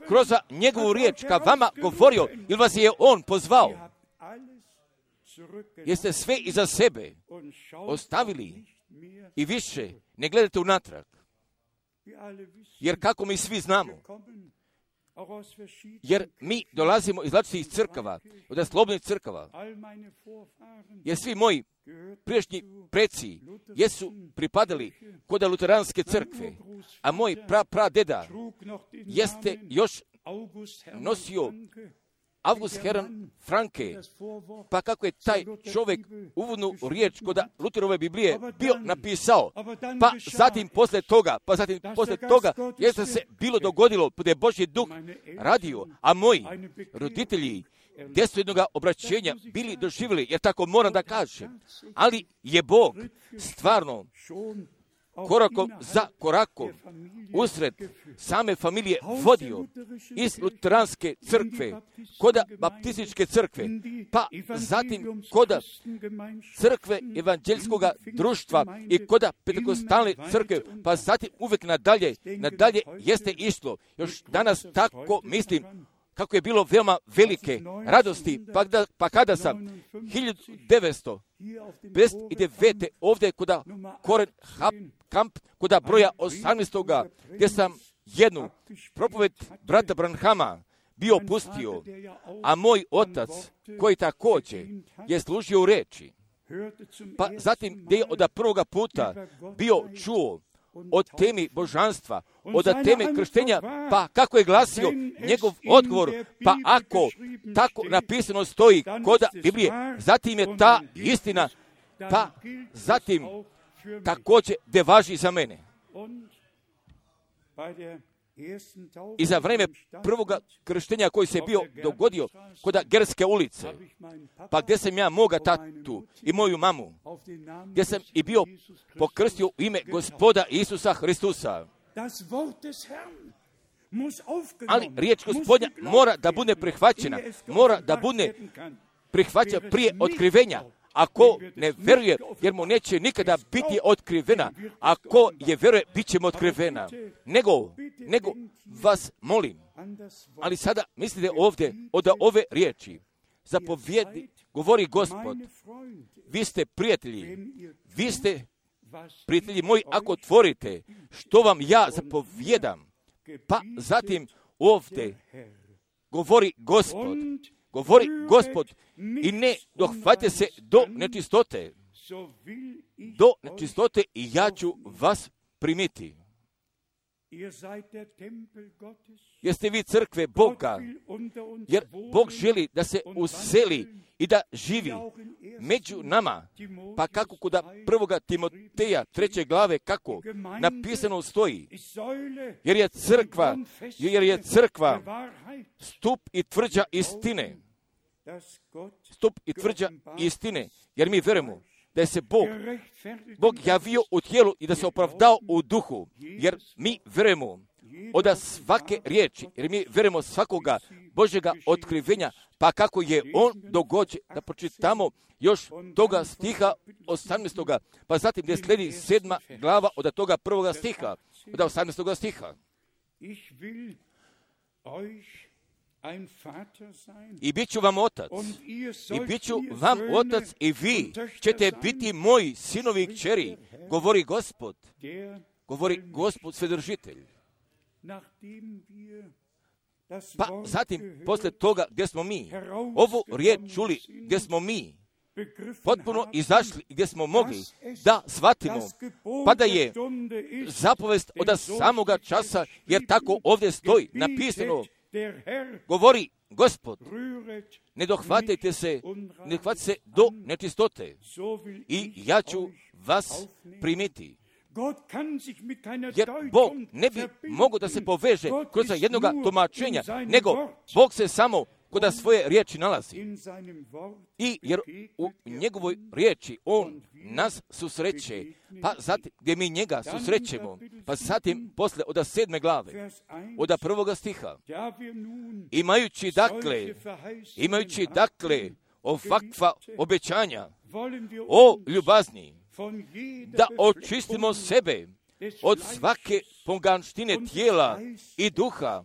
kroz njegovu riječ ka vama govorio? Ili vas je On pozvao? Jeste sve iza sebe ostavili i više ne gledate unatrag? Jer kako mi svi znamo, jer mi dolazimo iz različitih crkava, od slobodnih crkava, jer svi moji prijašnji preci jesu pripadali kod luteranske crkve, a moj pradeda jeste još nosio August Hermann Franke, pa kako je taj čovjek uvodnu riječ kod Luterove Biblije bio napisao, pa zatim poslije toga jeste se bilo dogodilo da je Božji duh radio, a moji roditelji gdje su jednoga obraćenja bili doživjeli, jer tako moram da kažem, ali je Bog stvarno korakom za korakom usred same familije vodio iz luteranske crkve, kod baptističke crkve, pa zatim kod crkve evanđelskog društva i kod pentekostalne crkve, pa zatim uvijek nadalje jeste išlo. Još danas tako mislim kako je bilo veoma velike radosti, pa kada sam 1959. ovdje kod Koren Kamp, kod broja 18. gdje sam jednu propoved brata Branhama bio pustio, a moj otac, koji također je služio u reči, pa zatim gdje je od prvoga puta bio čuo od temi božanstva, od teme krštenja, pa kako je glasio njegov odgovor, pa ako tako napisano stoji kod Biblije, zatim je ta istina, pa zatim također de važi za mene. I za vrijeme prvoga krštenja koji se bio dogodio kod Gerske ulice, pa gdje sam ja moga tatu i moju mamu, gdje sam i bio pokrstio u ime Gospoda Isusa Hristusa. Ali riječ Gospodnja mora da bude prihvaćena, mora da bude prihvaćena prije otkrivenja. Ako ne vjeruje, jer mu neće nikada biti otkrivena, ako je vjeruje, bit će mu otkrivena. Nego vas molim, ali sada mislite ovdje od ove riječi, zapovjedi, govori Gospod, vi ste prijatelji moji, ako otvorite što vam ja zapovjedam, pa zatim ovdje govori Gospod i ne dohvate se do nečistote i ja ću vas primiti. Jeste vi crkve Boga, jer Bog želi da se useli i da živi među nama, pa kako kod 1. Timoteja 3. glave kako napisano stoji, jer je crkva stup i tvrđa istine, jer mi vjerujemo da se Bog javio u tijelu i da se opravdao u duhu, jer mi vjerujemo od svake riječi, jer mi vjerujemo svakoga Božjega otkrivenja, pa kako je on dogođen, da pročitamo još toga stiha 18. pa zatim gdje slijedi 7. glava od toga 1. stiha, od 18. stiha. i bit ću vam otac, i bit ću vam otac i vi ćete biti moji sinovi i kćeri, govori Gospod Svedržitelj. Pa zatim, posle toga gdje smo mi, ovu riječ čuli gdje smo mi, potpuno izašli gdje smo mogli da shvatimo, pa da je zapovest od samoga časa, jer tako ovdje stoji napisano, govori Gospod, ne dohvatite se do nečistote i ja ću vas primiti. Jer Bog ne bi mogao da se poveže kroz jednoga tumačenja, nego Bog se samo kod svoje riječi nalazi. I jer u njegovoj riječi on nas susreće, pa zatim gdje mi njega susrećemo, pa zatim posle od 7. glave, od 1. stiha, imajući dakle ovakva obećanja o ljubazni, da očistimo sebe od svake poganštine tijela i duha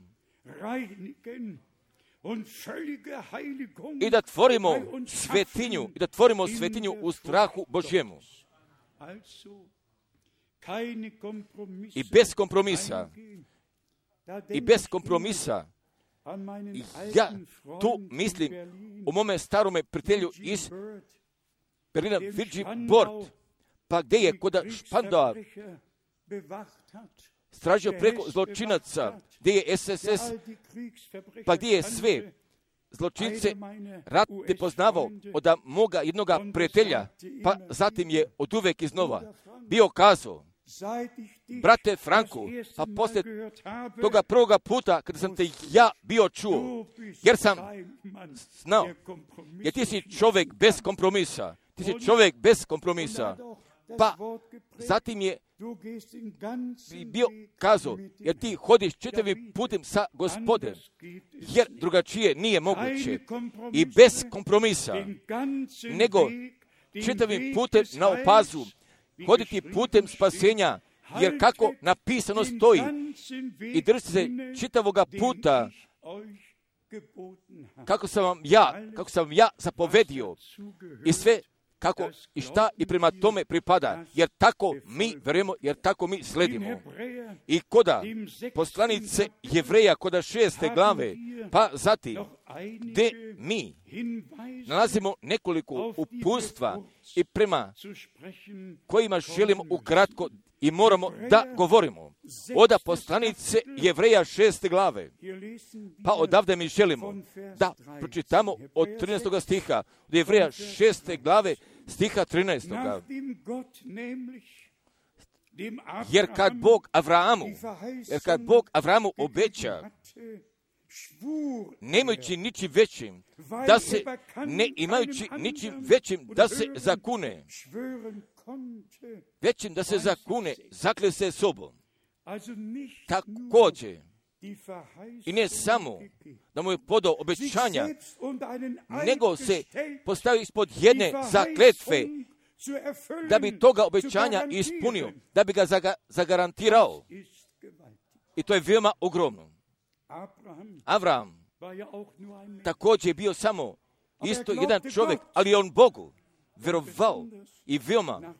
i da tvorimo svetinju u strahu Božjemu. I bez kompromisa, ja tu mislim u mome starome prijatelju iz Berlina, Virgi Bort, pa gdje je kod Špandau stražio preko zločinaca, gdje je SSS, pa gdje je sve zločince ratne poznavao od moga jednoga prijatelja, pa zatim je od uvek iznova bio kazao, brate Franku, pa poslije toga prvoga puta kada sam te ja bio čuo, jer sam znao, jer ti si čovjek bez kompromisa, pa zatim je bio kazao, jer ti hodiš čitavim putem sa Gospodem, jer drugačije nije moguće i bez kompromisa, nego čitavim putem na opazu, hoditi putem spasenja, jer kako napisano stoji, i držite se čitavoga puta, kako sam ja zapovedio, i sve kako i šta i prema tome pripada, jer tako mi verujemo, jer tako mi sledimo. I koda poslanice Jevreja, koda 6. glave, pa zatim, gdje mi nalazimo nekoliko uputstva i prema kojima želimo ukratko i moramo da govorimo. Oda poslanice Jevreja 6. glave, pa odavde mi želimo da pročitamo od 13. stiha, od Jevreja 6. glave, stiha 13. Jer kad Bog Avramu obeća, nemajući ničim većim da se zakune, zakle se sobom. Također, i ne samo da mu je podao obećanja, nego se postavio ispod jedne zakletve, da bi toga obećanja ispunio, da bi ga zagarantirao. I to je veoma ogromno. Avram također je bio samo isto jedan čovjek, ali on Bogu verovao i veoma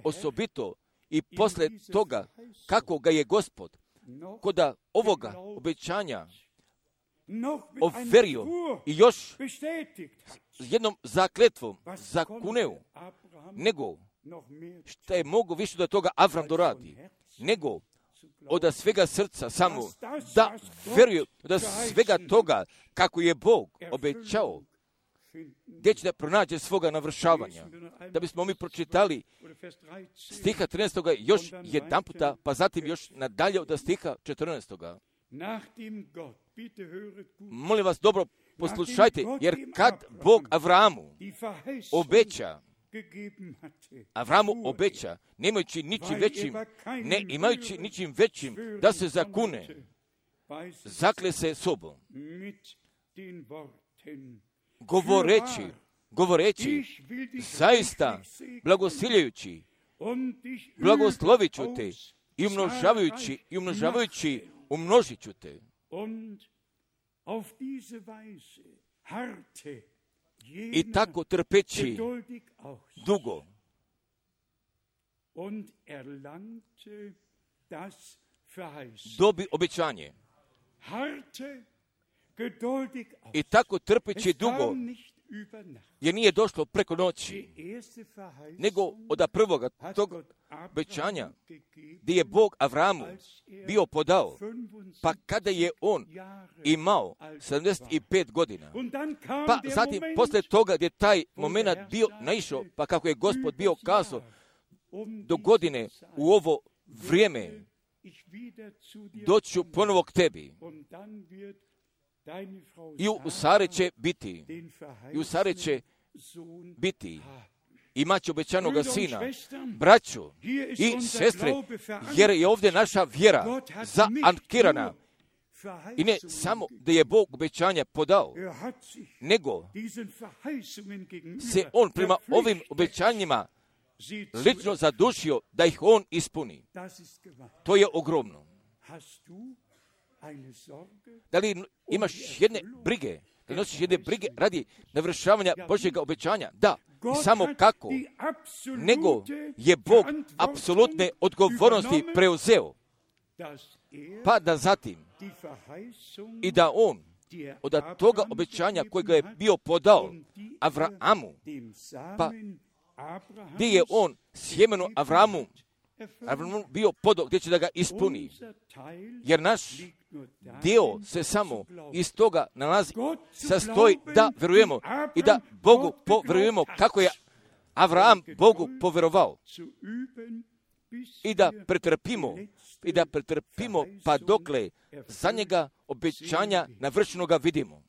osobito i posle toga kako ga je Gospod kod ovoga obećanja overio i još jednom zakletvom zakuneo, nego šta je mogo više da toga Avram doradi, nego od svega srca samo da veruje od svega toga kako je Bog obećao gdje će da pronađe svoga navršavanja. Da bismo mi pročitali stiha 13. još jedan puta, pa zatim još nadalje od stiha 14. Molim vas dobro poslušajte, jer kad Bog Avramu obeća, nemajući ničim većim da se zakune, zakle se sobom, govoreći, zaista blagosiljajući, blagoslovit ću te i umnožavajući, umnožit ću te. I tako trpeći dugo dobi obećanje. I tako trpeći dugo, jer nije došlo preko noći, nego od prvoga tog obećanja gdje je Bog Avramu bio podao, pa kada je on imao 75 godina, pa zatim posle toga gdje taj moment bio naišao, pa kako je Gospod bio kazao, do godine u ovo vrijeme doću ponovo k tebi. I u Sare će biti, imaće obećanoga sina. Braćo i sestre, jer je ovdje naša vjera zaankirana. I ne samo da je Bog obećanja podao, nego se on prema ovim obećanjima lično zadušio da ih on ispuni. To je ogromno. Da li imaš jedne brige? Da nosiš jedne brige radi navršavanja Božjeg obećanja? Da. I samo kako? Nego je Bog apsolutne odgovornosti preuzeo. Pa da zatim i da on od toga obećanja kojega je bio podao Avramu, pa gdje je on sjemeno Avramu bio podao, gdje će da ga ispuni. Jer naš dio se samo iz toga nalazi, sastoji da verujemo i da Bogu poverujemo kako je Avram Bogu poverovao. I da pretrpimo pa dokle za njega obećanja navršenoga vidimo.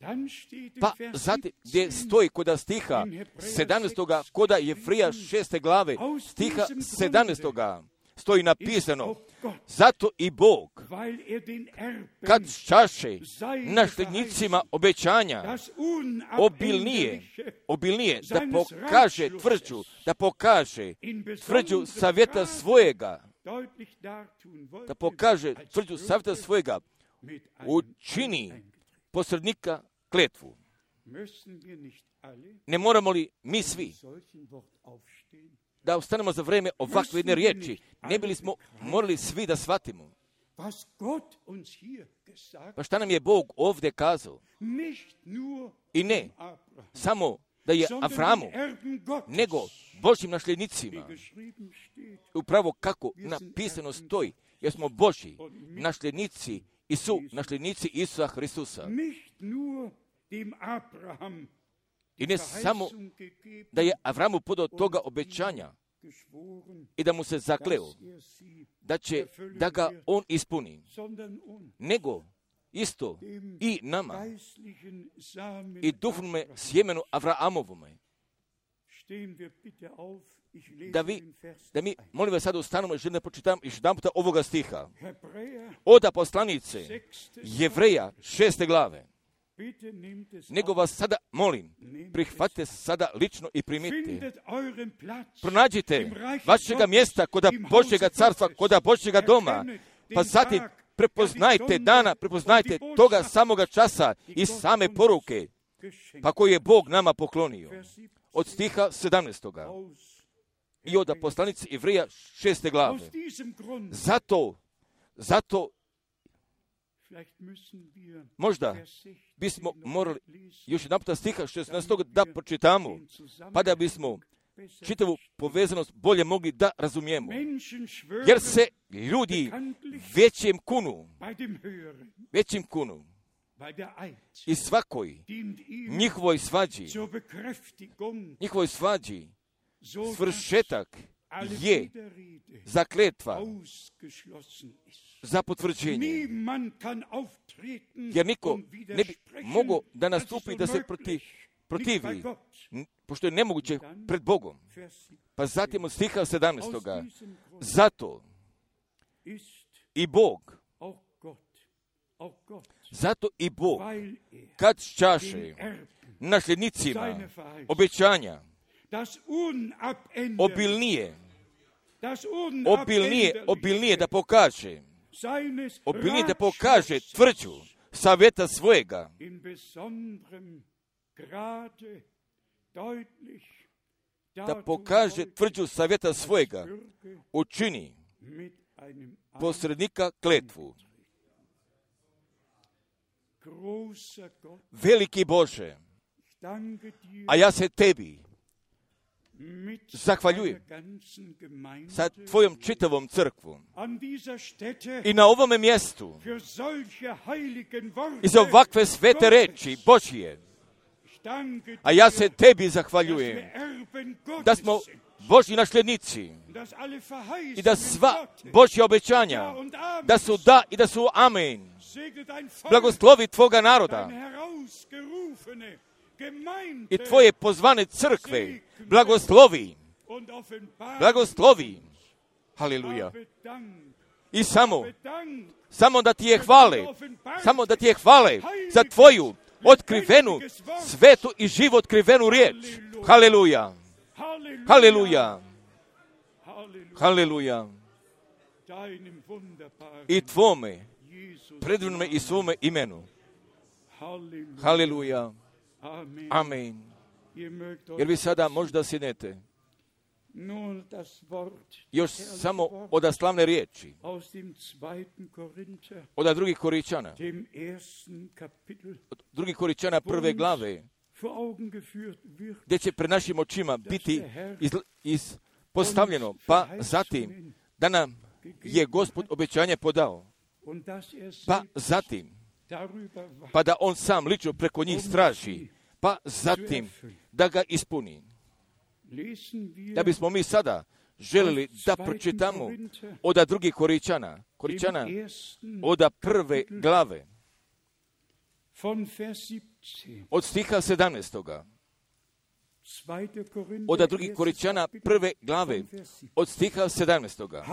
Pa zatim gdje stoji koda stiha 17. koda Jevrija 6. glave, stiha 17. stoji napisano, zato i Bog, kad čaše nasljednicima obećanja obilnije, da pokaže tvrđu savjeta svojega, učini posrednika kletvu. Ne moramo li mi svi da ostanemo za vrijeme ovakve jedne riječi? Ne bili smo morali svi da shvatimo. Pa šta nam je Bog ovdje kazao? I ne samo da je Avramu, nego Božjim nasljednicima. Upravo kako napisano stoji, jer smo Božji nasljednici i su nasljednici Isusa Hristusa. I ne samo da je Avramu podao toga obećanja i da mu se zakleo da ga on ispuni, nego isto i nama i duhovnome sjemenu Avramovome. Da mi, molim vas, sada ustanemo i želim da pročitam još jedan puta ovoga stiha. Od poslanice Jevreja 6. glave. Nego vas sada molim, prihvatite sada lično i primite. Pronađite vašega mjesta koda Božjega carstva, koda Božjega doma, pa zatim prepoznajte toga samoga časa i same poruke, pa koju je Bog nama poklonio. Od stiha 17. I od poslanice Jevrija 6. glave. Zato možda bismo morali još jedan puta stiha 16. da pročitamo, pa da bismo čitavu povezanost bolje mogli da razumijemo. Jer se ljudi većim kunu i svakoj njihovoj svađi svršetak je zakletva za potvrđenje. Jer niko ne bi mogao da nastupi da se protivi, pošto je nemoguće pred Bogom. Pa zatim od stiha 17. Zato i Bog, kad čaše nasljednicima obećanja, obilnije da pokaže tvrđu savjeta svojega, da pokaže tvrđu savjeta svojega, učini posrednika kletvu. Veliki Bože, a ja se tebi zahvaljujem sa tvojom čitavom crkvom i na ovome mjestu i za ovakve svete reči Božije. A ja se tebi zahvaljujem da smo Božji nasljednici i da sva Božja obećanja da su da i da su amen. Blagoslovi tvoga naroda i tvoje pozvane crkve. Blagoslovi. Haleluja. I samo da ti je hvale za tvoju otkrivenu, svetu i živo otkrivenu riječ. Haleluja. Haleluja. Haleluja. I tvome predivnome i svome imenu. Haleluja. Amen. Jer vi sada možda sjednete. Još samo od slavne riječi. Od drugih Koričana. Drugih Koričana prve glave. Gdje će pred našim očima biti postavljeno. Pa zatim da nam je Gospod obećanje podao. Pa zatim pa da on sam lično preko njih straži. Pa zatim da ga ispuni. Da bismo mi sada želili da pročitamo od drugih Koričana od prve glave, od stiha 17. Od drugih Koričana prve glave, od stiha 17.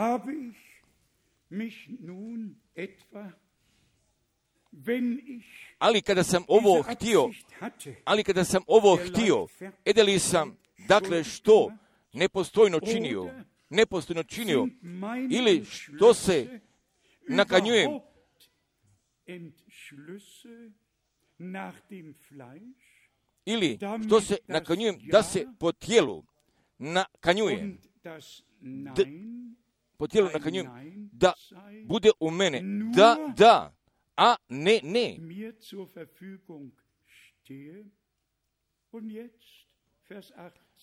Ali kada sam ovo htio, edeli sam, dakle, što nepostojno činio, ili što se nakanjujem, da se po tijelu nakanjujem, da bude u mene, da, a ne.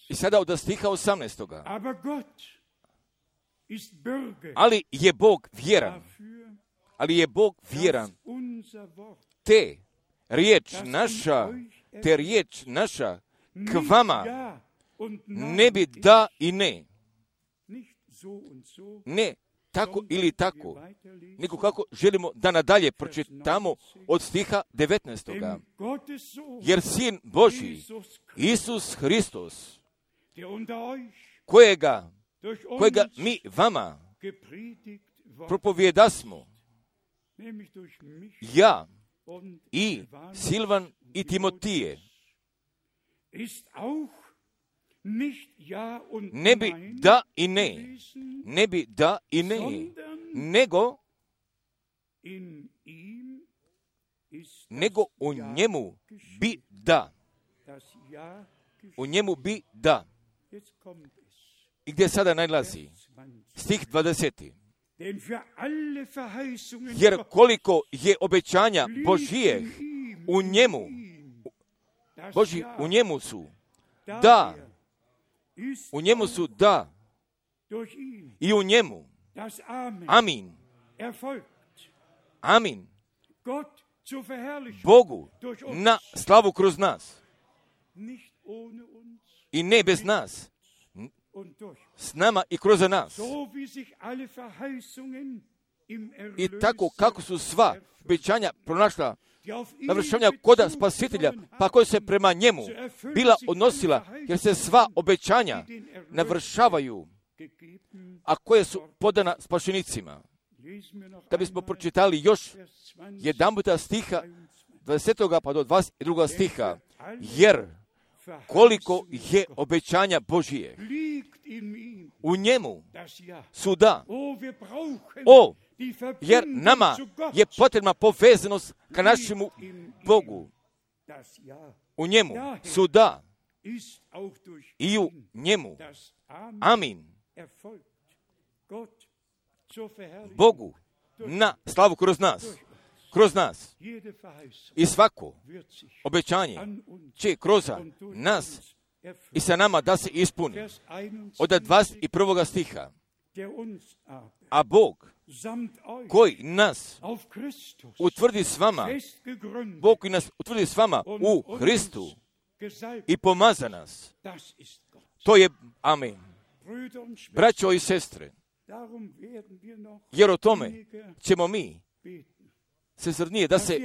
I sada od stiha 18. Ali je Bog vjeran, te riječ naša k vama ne bi da i ne. Ne tako ili tako, nego kako želimo da nadalje pročitamo od stiha 19. Jer Sin Božji, Isus Hristos, kojega mi vama propovijedasmo, ja i Silvan i Timotije, ne bi da i ne, nego u njemu bi da. U njemu bi da. I gdje sada najlazi? Stih 20. Jer koliko je obećanja Božije u njemu, u njemu su da. U njemu su da. I u njemu. Amin. Amin. Bogu na slavu kroz nas. I ne bez nas. S nama i kroz nas. I tako kako su sva obećanja pronašla navršavanja koda Spasitelja, pa koje se prema njemu bila odnosila, jer se sva obećanja navršavaju, a koje su podana spašenicima. Da bismo pročitali još jedan puta stiha 20. pa do 22. stiha, jer koliko je obećanja Božije u njemu su da. jer nama je potrebna povezanost ka našemu Bogu. U njemu su da i u njemu. Amin. Bogu na slavu kroz nas. I svako obećanje će kroz nas i sa nama da se ispuni. Od 21. stiha. A Bog koji nas utvrdi s vama, Bog koji nas utvrdi s vama u Hristu i pomaza nas. To je amen. Braćo i sestre, jer o tome ćemo mi se srdnije da se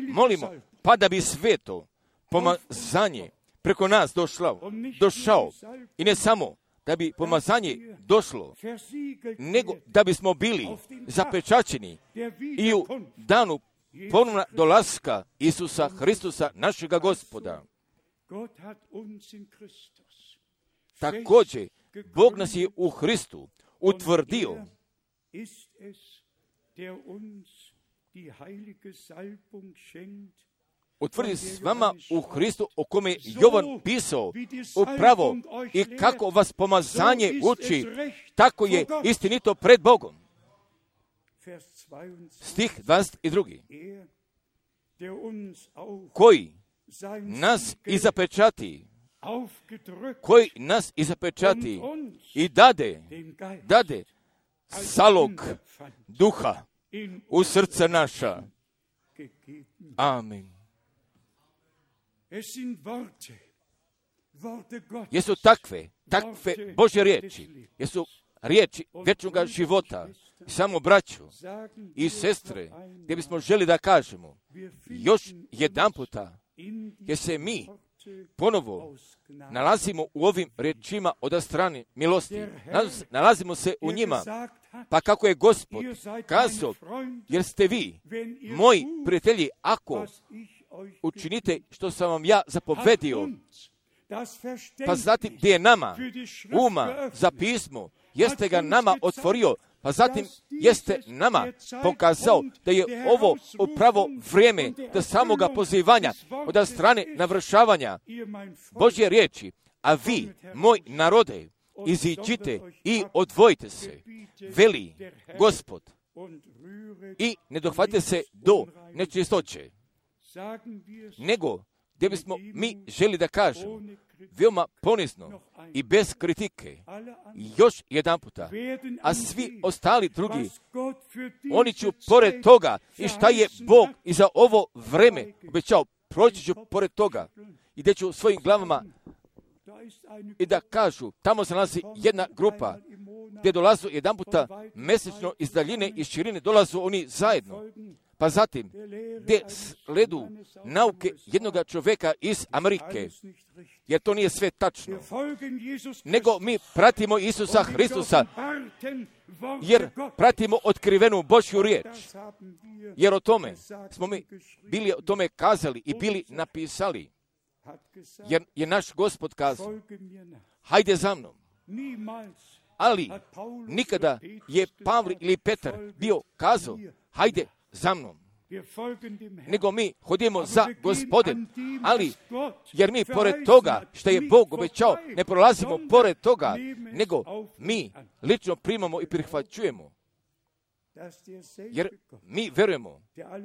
molimo, pa da bi sveto pomazanje preko nas došao. I ne samo da bi pomazanje došlo, nego da bismo bili zapečaćeni i u danu ponovna dolaska Isusa Hristusa, našega Gospoda. Također, Bog nas je u Hristu utvrdio utvrdi s vama u Hristu, o kome je Jovan pisao upravo i kako vas pomazanje uči, tako je istinito pred Bogom. Stih 22. Koji nas i zapečati, i dade zalog duha u srca naša. Amin. Jesu takve Božje riječi, jesu riječi vječnoga života. Samo braćo i sestre, gdje bismo želi da kažemo još jedan puta, jer se mi ponovo nalazimo u ovim riječima od strane milosti. Nalazimo se u njima, pa kako je Gospod kazao, jer ste vi moji prijatelji, ako učinite što sam vam ja zapovedio. Pa zatim gdje je nama uma za pismo, jeste ga nama otvorio, pa zatim jeste nama pokazao da je ovo upravo vrijeme da samoga pozivanja od strane navršavanja Božje riječi. A vi, moj narode, iziđite i odvojite se, veli Gospod, i ne dohvatite se do nečistoće. Nego, gdje bismo mi želi da kažemo, veoma ponizno i bez kritike, još jedan puta, a svi ostali drugi, oni će pored toga i šta je Bog i za ovo vreme obećao, proći ću pored toga i gdje ću svojim glavama i da kažu, tamo se nalazi jedna grupa gdje dolazu jedan puta mjesečno iz daljine i širine, dolazu oni zajedno. Pa zatim, gdje sledu nauke jednoga čovjeka iz Amerike, jer to nije sve tačno, nego mi pratimo Isusa Hristusa, jer pratimo otkrivenu Božju riječ, jer o tome smo mi bili o tome kazali i bili napisali, jer je naš Gospod kazao, hajde za mnom. Ali nikada je Pavle ili Petar bio kazao, hajde za mnom. Nego mi hodimo za Gospodem, ali jer mi pored toga što je Bog obećao, ne prolazimo pored toga, nego mi lično primamo i prihvaćujemo. Jer mi verujemo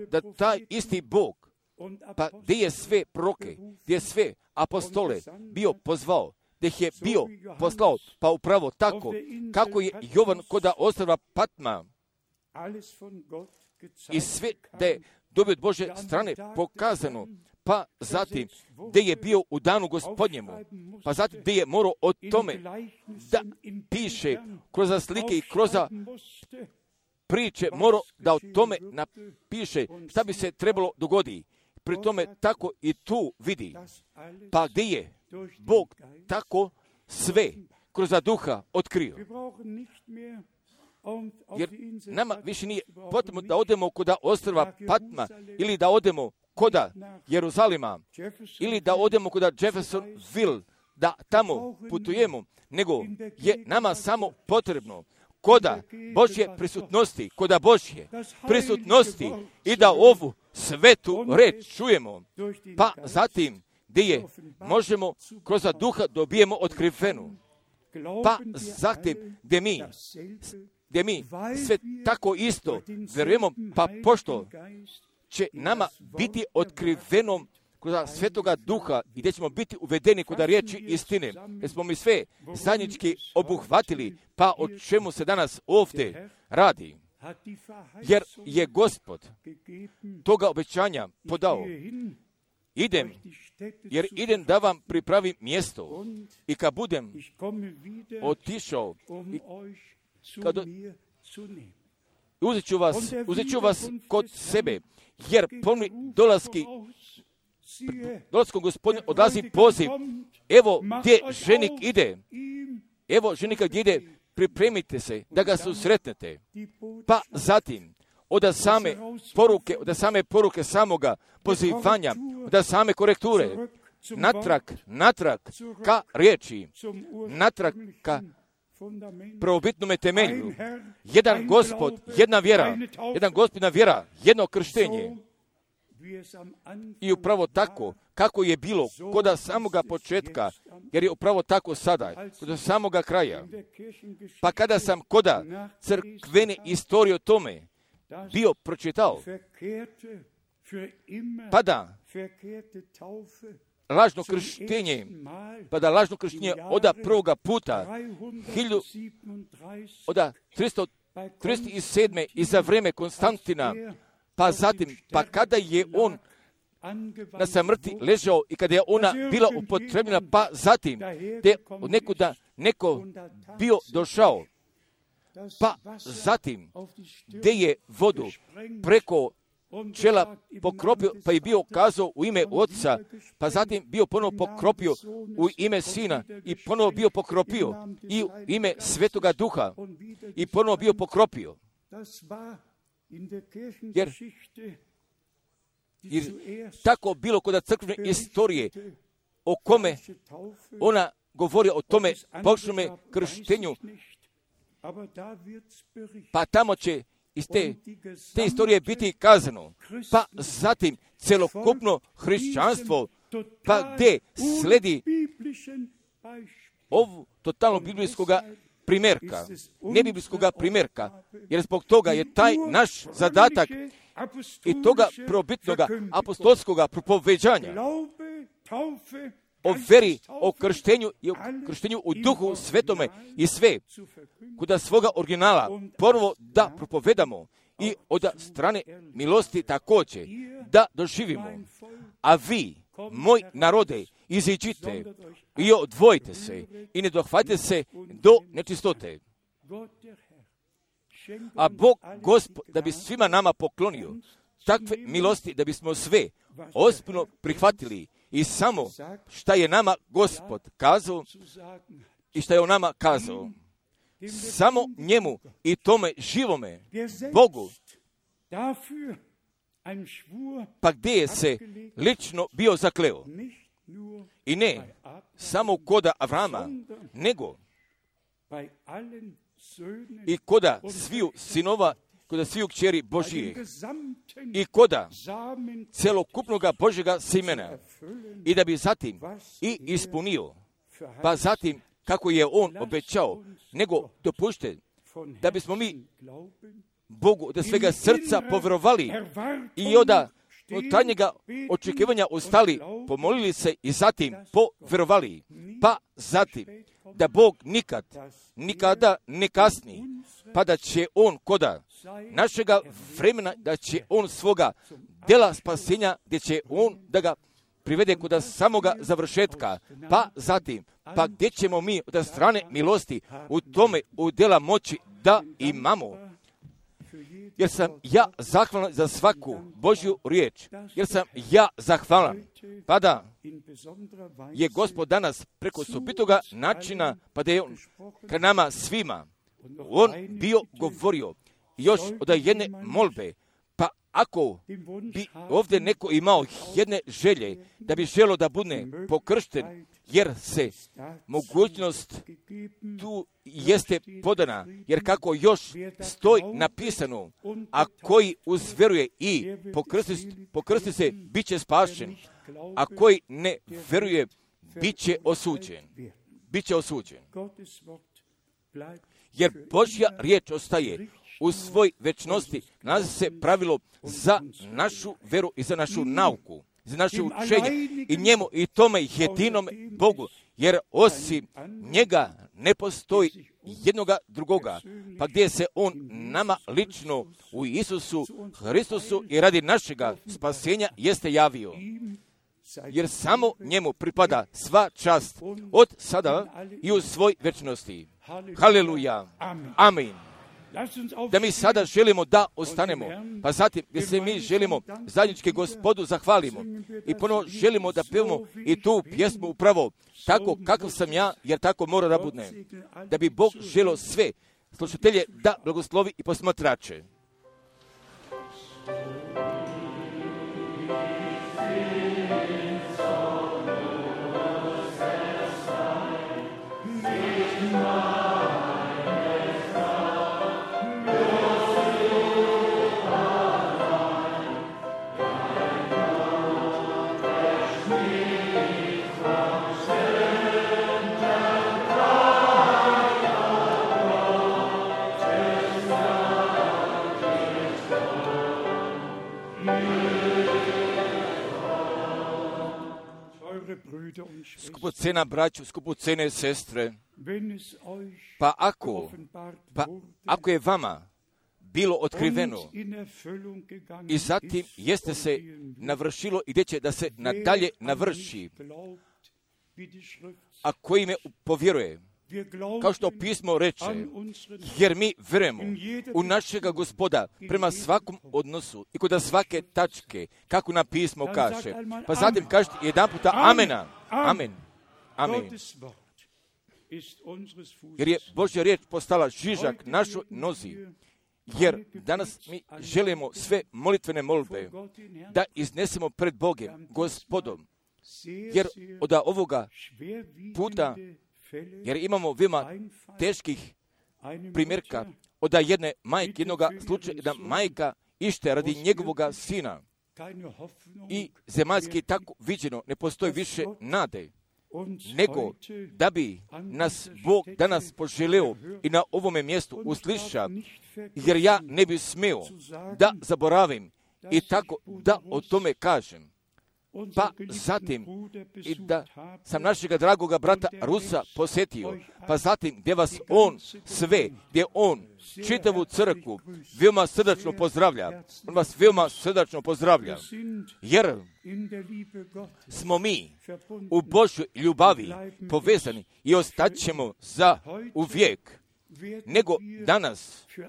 da taj isti Bog, pa gdje je sve proroke, gdje je sve apostole bio pozvao, gdje ih je bio poslao, pa upravo tako, kako je Jovan koda ostrva Patma, i sve da je dobio od Bože strane pokazano, pa zatim gdje je bio u danu Gospodnjemu, pa zatim gdje je morao o tome da piše kroz slike i kroz priče, morao da o tome napiše šta bi se trebalo dogoditi. Pri tome tako i tu vidi, pa gdje je Bog tako sve kroz duha otkrio. Jer nama više nije potrebno da odemo koda ostrva Patma ili da odemo koda Jeruzalima ili da odemo koda Jeffersonville, da tamo putujemo, nego je nama samo potrebno koda Božje prisutnosti i da ovu svetu reč čujemo, pa zatim gdje možemo kroz duha dobijemo otkrivenu, pa zatim gdje mi sve tako isto vjerujemo, pa pošto će nama biti otkriveno kroz Svetoga Duha i gdje ćemo biti uvedeni kod riječi istine, jer smo mi sve zajednički obuhvatili, pa o čemu se danas ovdje radi. Jer je Gospod toga obećanja podao. Idem da vam pripravim mjesto i kad budem otišao, uzet ću vas kod sebe, jer pomni dolaskom Gospodin odlazi poziv. Evo gdje ženik ide. Evo ženika gdje ide, pripremite se da ga susretnete. Pa zatim, od same poruke samoga pozivanja, od same korekture, natrag ka riječi, natrag ka prvobitnome temelju. Jedan Gospod, jedna vjera, jedno krštenje. I upravo tako, kako je bilo kod samoga početka, jer je upravo tako sada, kod samoga kraja. Pa kada sam kod crkvene istorije o tome bio pročitao, pa da lažno krštenje od prvoga puta, 337. i za vrijeme Konstantina, pa zatim, pa kada je on na samrti ležao i kada je ona bila upotrebljena, pa zatim, gdje od nekuda neko bio došao, pa zatim, gdje je vodu preko čela pokropio, pa je bio kazao u ime Otca, pa zatim bio ponovo pokropio u ime Sina i ponovo bio pokropio i u ime Svetoga Duha i ponovo bio pokropio. Jer tako bilo kod crkvene istorije o kome ona govori o tome pogrešnom krštenju, pa tamo će iz te istorije biti kazano. Pa zatim celokupno hrišćanstvo, pa gdje sledi ovu totalno biblijskoga primjerka, nebiblijskoga primjerka, jer zbog toga je taj naš zadatak i toga probitnoga apostolskoga propoveđanja o veri, o krštenju i o krštenju u Duhu Svetome i sve kuda svoga originala prvo da propovedamo i od strane milosti također da doživimo. A vi, moj narode, iziđite i odvojite se i ne dohvatite se do nečistote. A Bog Gospod da bi svima nama poklonio takve milosti da bismo sve ozbiljno prihvatili i samo šta je nama Gospod kazao i šta je on nama kazao. Samo njemu i tome živome Bogu. Pa gdje je se lično bio zakleo? I ne samo koda Avrama, nego i koda sviju sinova, koda sviju kćeri Božijih i koda celokupnoga Božjega semena i da bi zatim i ispunio, pa zatim kako je on obećao, nego dopušte da bismo mi Bogu da svega srca povjerovali i od tajnjega očekivanja ostali, pomolili se i zatim povjerovali, pa zatim da Bog nikada ne kasni, pa da će on koda našega vremena, da će on svoga dela spasenja, gdje će on da ga privede kod samoga završetka, pa zatim, pa gdje ćemo mi od strane milosti u tome u dela moći da imamo. Jer sam ja zahvalan za svaku Božju riječ, jer sam ja zahvalan, pa da je Gospod danas preko osobitoga načina, pa da je on ka nama svima, on bio govorio još od jedne molbe, pa ako bi ovdje neko imao jedne želje da bi želio da bude pokršten, jer se mogućnost tu jeste podana, jer kako još stoji napisano, a koji uzveruje i pokrsti se, bit će spašen, a koji ne veruje, bit će osuđen. Biće osuđen. Jer Božja riječ ostaje u svoj večnosti, nalazi se pravilo za našu veru i za našu nauku, za naše učenje i njemu i tome jedinom Bogu, jer osim njega ne postoji jednoga drugoga, pa gdje se on nama lično u Isusu Hristusu i radi našega spasenja jeste javio. Jer samo njemu pripada sva čast od sada i u svoj večnosti. Haleluja. Amin. Da mi sada želimo da ostanemo, pa zatim gdje se mi želimo zajednički Gospodu zahvalimo i ponovo želimo da pevamo i tu pjesmu upravo tako kakav sam ja, jer tako mora da bude. Da bi Bog želio sve slušatelje da blagoslovi i posmatrače. Skupocena braću, skupocene sestre, pa ako je vama bilo otkriveno i zatim jeste se navršilo i gdje će da se nadalje navrši, a koji me povjeruje, kao što pismo reče, jer mi verujemo u našega Gospoda prema svakom odnosu i kod svake tačke, kako nam pismo kaže. Pa zatim kažete jedan puta amena. Amen. Amen. Jer je Božja riječ postala žižak našoj nozi. Jer danas mi želimo sve molitvene molbe da iznesemo pred Bogom, Gospodom. Jer od ovoga puta, jer imamo veoma teških primjerka od jedne majke, jednoga slučaja, da majka ište radi njegovoga sina. I zemaljski tako viđeno ne postoji više nade, nego da bi nas Bog danas poželeo i na ovome mjestu usliša, jer ja ne bi smio da zaboravim i tako da o tome kažem. Pa zatim i da sam našega dragoga brata Rusa posjetio, pa zatim gdje vas on sve, gdje on čitavu crkvu veoma srdačno pozdravlja, on vas veoma srdačno pozdravlja, jer smo mi u Božjoj ljubavi povezani i ostaćemo za uvijek.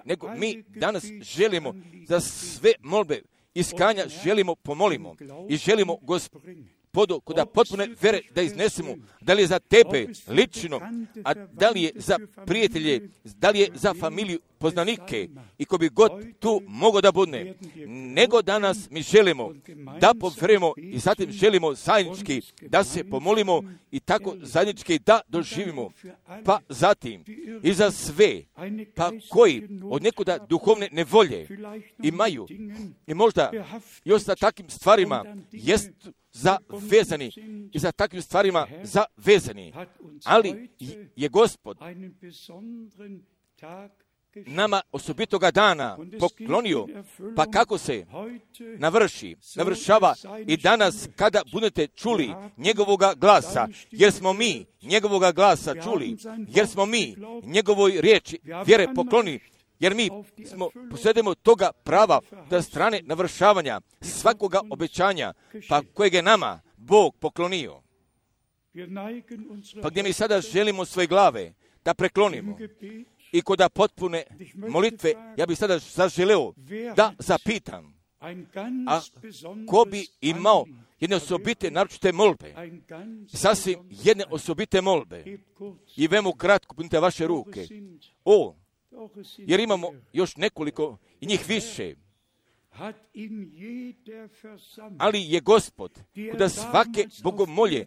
Nego mi danas želimo za sve molbe iskanja želimo pomolimo i želimo Gospodu kod potpune vere da iznesemo, da li je za tebe lično, a da li je za prijatelje, da li je za familiju, poznanike i ko bi god tu mogao da bude. Nego danas mi želimo da povjerujemo i zatim želimo zajednički da se pomolimo i tako zajednički da doživimo. Pa zatim i za sve, pa koji od nekuda duhovne nevolje imaju i možda još sa takvim stvarima jest zavezani i za takvim stvarima zavezani. Ali je Gospod nama osobitoga dana poklonio, pa kako se navršava i danas kada budete čuli njegovoga glasa, jer smo mi njegovoga glasa čuli, jer smo mi njegovoj riječi vjere poklonili, jer mi posjedujemo toga prava da strane navršavanja svakoga obećanja, pa kojeg je nama Bog poklonio. Pa gdje mi sada želimo svoje glave da preklonimo i kod potpune molitve, ja bih sada zaželeo da zapitam, a ko bi imao jedne osobite naročite molbe, sasvim jedne osobite molbe, i vemu kratko punite vaše ruke, jer imamo još nekoliko i njih više, ali je Gospod kod svake bogomolje,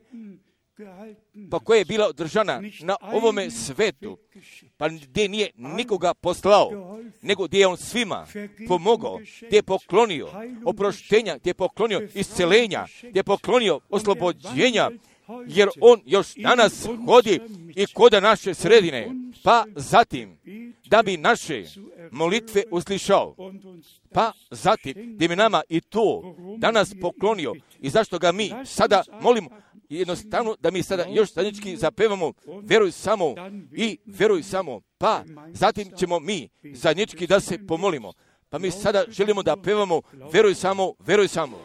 pa koja je bila održana na ovome svetu, pa gdje nije nikoga poslao, nego gdje je on svima pomogao, gdje je poklonio oproštenja, gdje je poklonio iscelenja, gdje je poklonio oslobođenja, jer on još danas hodi i koda naše sredine, pa zatim da bi naše molitve uslišao, pa zatim da bi nama i to danas poklonio i zašto ga mi sada molimo, jednostavno da mi sada još zajednički zapevamo veruj samo i veruj samo, pa zatim ćemo mi zajednički da se pomolimo. Pa mi sada želimo da pevamo veruj samo, veruj samo.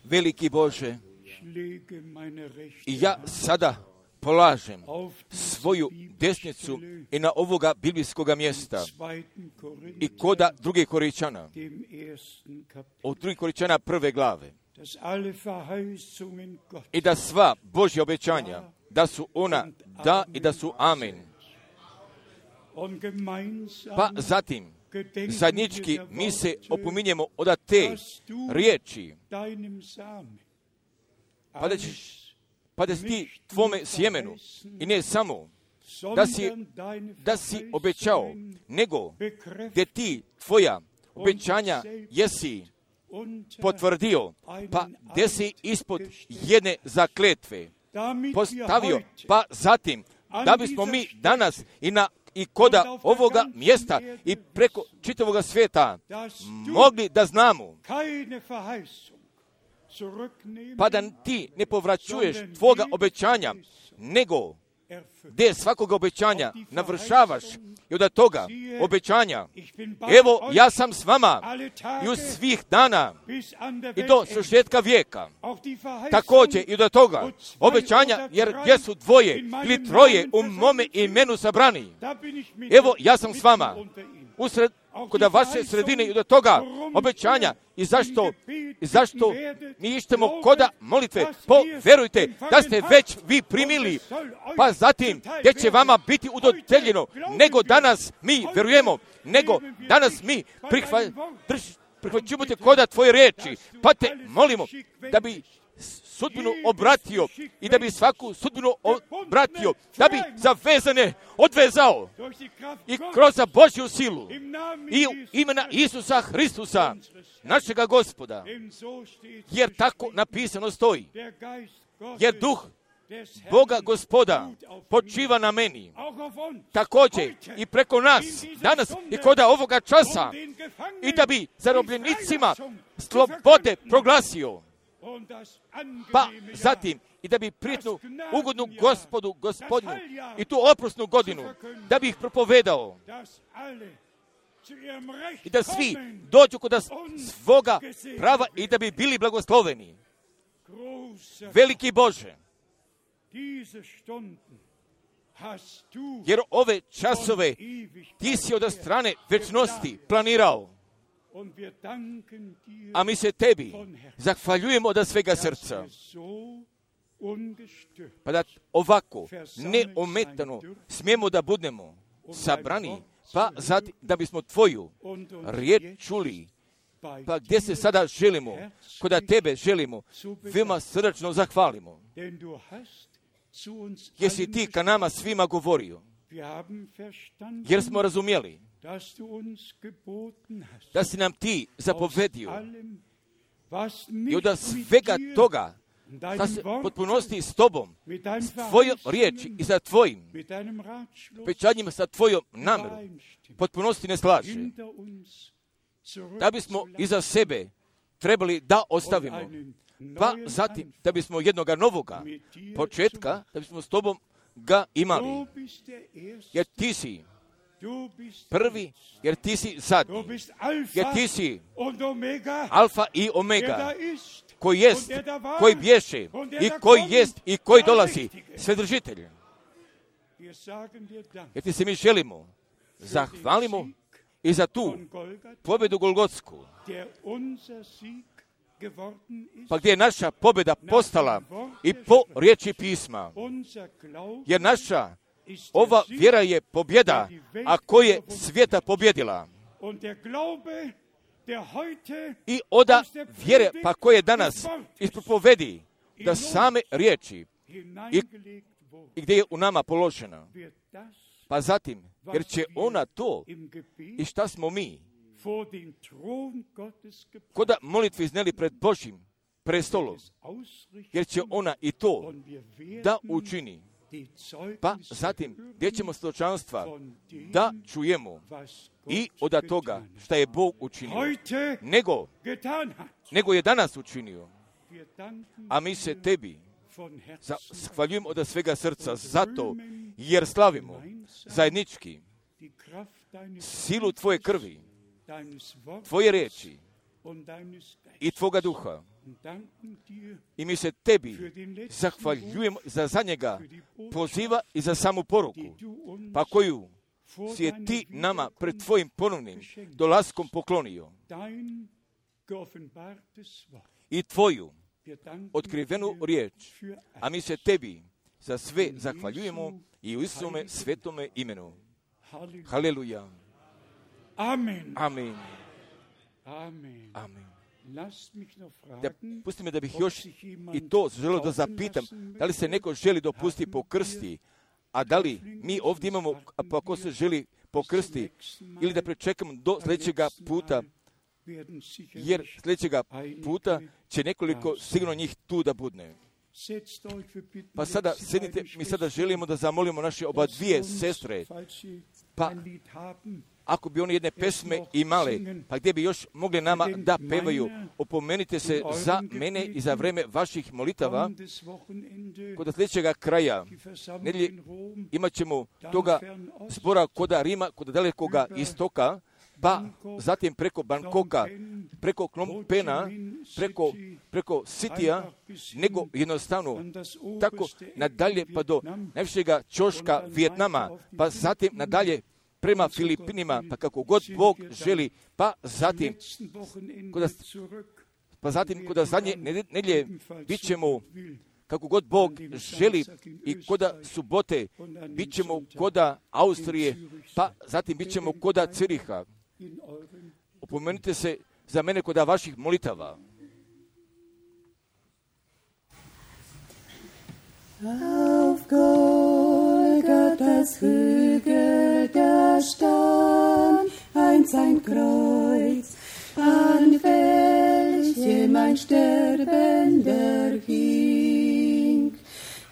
Veliki Bože, i ja sada polažem svoju desnicu i na ovoga biblijskoga mjesta i koda 2. Korinčana, od 2. Korinčana 1. glave, i da sva Božja obećanja, da su ona da i da su amen. Pa zatim, zajednički mi se opominjemo od te riječi, pa da si ti tvome sjemenu i ne samo da si obećao, nego gdje ti tvoja obećanja jesi potvrdio, pa gdje si ispod jedne zakletve postavio, pa zatim da bismo mi danas i koda ovoga mjesta i preko čitavoga svijeta mogli da znamo, pa da ti ne povraćuješ tvoga obećanja, nego gdje svakoga obećanja navršavaš i od toga obećanja, evo ja sam s vama i u svih dana i do svršetka vijeka. Također i od toga obećanja, jer gdje su dvoje ili troje u mome imenu sabrani, evo ja sam s vama kod vaše sredine i do toga obećanja. I zašto mi ištemo koda molitve? Poverujte da ste već vi primili, pa zatim gdje će vama biti udodeljeno, nego danas mi verujemo, nego danas mi prihvaćujemo te koda tvoje riječi, pa te molimo da bi sudbinu obratio i da bi svaku sudbinu obratio, da bi zavezane odvezao i kroz Božju silu i u imena Isusa Hristusa, našega Gospoda, jer tako napisano stoji, jer duh Boga Gospoda počiva na meni, također i preko nas danas i koda ovoga časa, i da bi zarobljenicima slobode proglasio, pa zatim i da bi prijatnu ugodnu Gospodu, Gospodinu i tu oprosnu godinu, da bi ih propovedao i da svi dođu kod svoga prava i da bi bili blagosloveni. Veliki Bože, jer ove časove ti si od strane večnosti planirao, a mi se tebi zahvaljujemo od svega srca, pa da ovako neometano smijemo da budemo sabrani, pa da bismo tvoju riječ čuli pa gdje se sada želimo, kod tebe želimo, veoma srdačno zahvalimo. Jer si ti ka nama svima govorio, jer smo razumjeli da si nam ti zapovedio i od svega toga da se potpunosti s tobom, s tvojom riječi i sa tvojim obećanjima, sa tvojom namjerom, potpunosti ne slaže. Da bismo iza sebe trebali da ostavimo, pa zatim da bismo jednoga novoga početka, da bismo s tobom ga imali. Jer ti si prvi, jer ti si zadnji, jer ti si alfa i omega, koji jest, koji bješe i koji jest i koji dolazi, Svedržitelj. Jer ti se mi želimo, zahvalimo i za tu pobjedu Golgotsku, pa gdje je naša pobjeda postala i po riječi pisma, jer naša ova vjera je pobjeda, a koja je svijeta pobjedila. I oda vjere, pa koje danas ispropovedi da same riječi i gdje je u nama položena. Pa zatim, jer će ona to i šta smo mi koda molitvi izneli pred Božjim prestolom, jer će ona i to da učini. Pa zatim, gdje ćemo svjedočanstva da čujemo i od toga šta je Bog učinio, nego je danas učinio. A mi se tebi zahvaljujemo od svega srca zato, jer slavimo zajednički silu tvoje krvi, tvoje riječi i tvoga duha. I mi se tebi zahvaljujemo za njega poziva i za samu poruku, pa koju si je ti nama pred tvojim ponovnim dolaskom poklonio. I tvoju otkrivenu riječ, a mi se tebi za sve zahvaljujemo i u Isuse svetome imenu. Haleluja. Amen. Amen. Amen. Amen. Da, pusti me da bih još i to želio da zapitam, da li se neko želi dopustiti po krsti, a da li mi ovdje imamo, pa ko se želi po krsti, ili da pričekamo do sljedećega puta, jer sljedećega puta će nekoliko sigurno njih tu da budne. Pa sada sjednite, mi sada želimo da zamolimo naše oba dvije sestre, pa ako bi oni jedne pesme imale, pa gdje bi još mogli nama da pevaju, opomenite se za mene i za vreme vaših molitava. Kod sljedećega kraja nedjelje imat ćemo toga zbora koda Rima, kod dalekoga istoka, pa zatim preko Bangkoka, preko Phnom Penha, preko Sitija, nego jednostavno tako nadalje pa do najvišega ćoška Vijetnama, pa zatim nadalje prema Filipinima, pa kako god Bog želi, pa zatim kod zadnje nedjelje bit ćemo kako god Bog želi i koda subote bit ćemo koda Austrije, pa zatim bit ćemo koda Ciriha. Opomenite se za mene koda vaših molitava. Auf Golgatha's Hügel da stand einst ein Kreuz, an welchem ein Sterbender hing.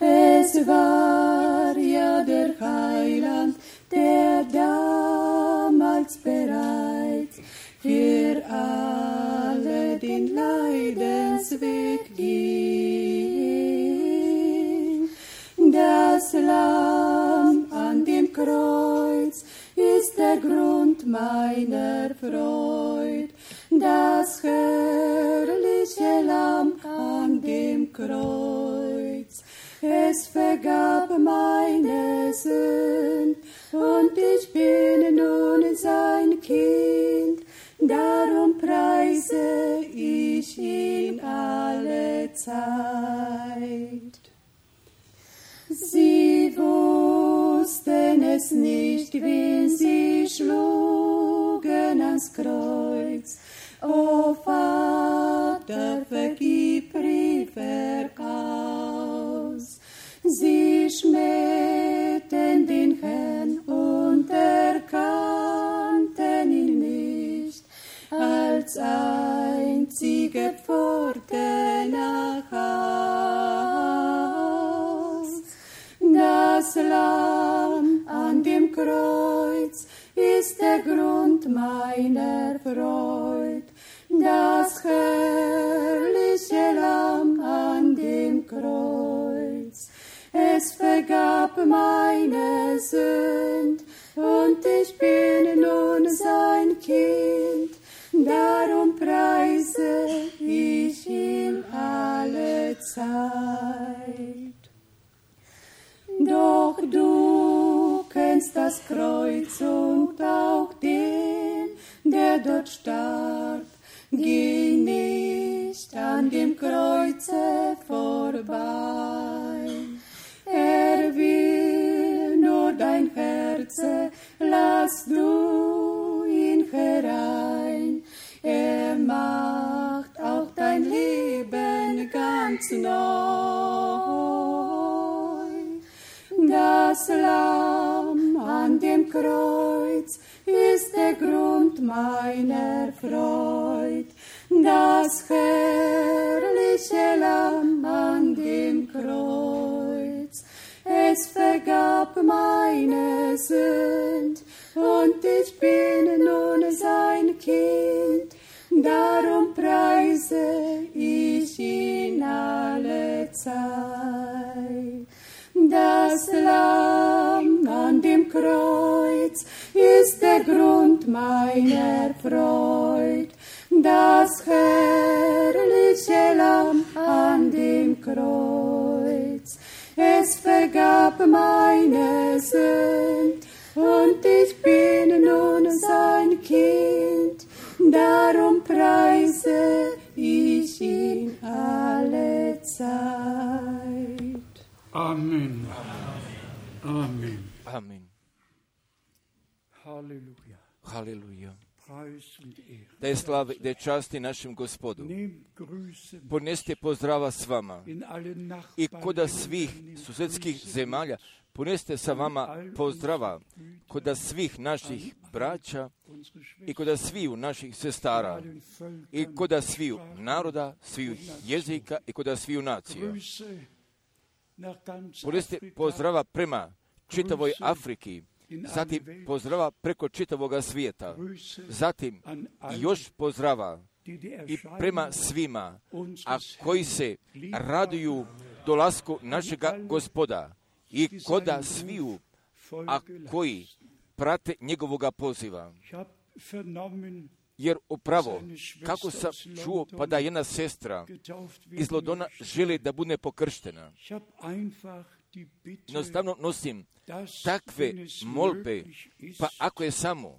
Es war ja der Heiland, der damals bereits für alle den Leidensweg ging. Das Lamm an dem Kreuz ist der Grund meiner Freud. Das herrliche Lamm an dem Kreuz. Es vergab meine Sünd und ich bin nun sein Kind. Darum preise ich ihn alle Zeit. Sie wussten es nicht, wen sie schlugen ans Kreuz. Oh, Kreuz ist der Grund meiner Freud. Das herrliche Lamm an dem Kreuz, es vergab meine Sünd, und ich bin nun sein Kind. Darum preise ich ihn alle Zeit. Doch du kennst das Kreuz und auch den, der dort starb. Geh nicht an dem Kreuze vorbei. Er will nur dein Herz, lass du ihn herein. Er macht auch dein Leben ganz neu. Das Lamm an dem Kreuz ist der Grund meiner Freud. Das herrliche Lamm an dem Kreuz, es vergab meine Sünd, und ich bin nun sein Kind. Darum preise ich ihn alle Zeit. Das Lamm an dem Kreuz ist der Grund meiner Freud. Das herrliche Lamm an dem Kreuz, es vergab meine Sünd, und ich bin nun sein Kind. Darum preise ich ihn alle Zeit. Amen. Amen. Amen. Halleluja. Halleluja. Preis und Ehre. Da je slave, da je časti našem Gospodu. Nehmt Grüße Poneste pozdrava s vama in alle i koda Nachbarn svih susedskih zemalja. Poneste sa vama pozdrava koda svih naših braća i koda sviju naših sestara i koda sviju naroda, sviju jezika i koda sviju nacija. Poneste pozdrava prema čitavoj Afriki, zatim pozdrava preko čitavoga svijeta, zatim još pozdrava i prema svima, a koji se raduju dolasku našega Gospoda i koda sviju, a koji prate njegovoga poziva. Jer upravo, kako sam čuo, pa da jedna sestra iz Londona želi da bude pokrštena. Jednostavno nosim takve molbe, pa ako je samo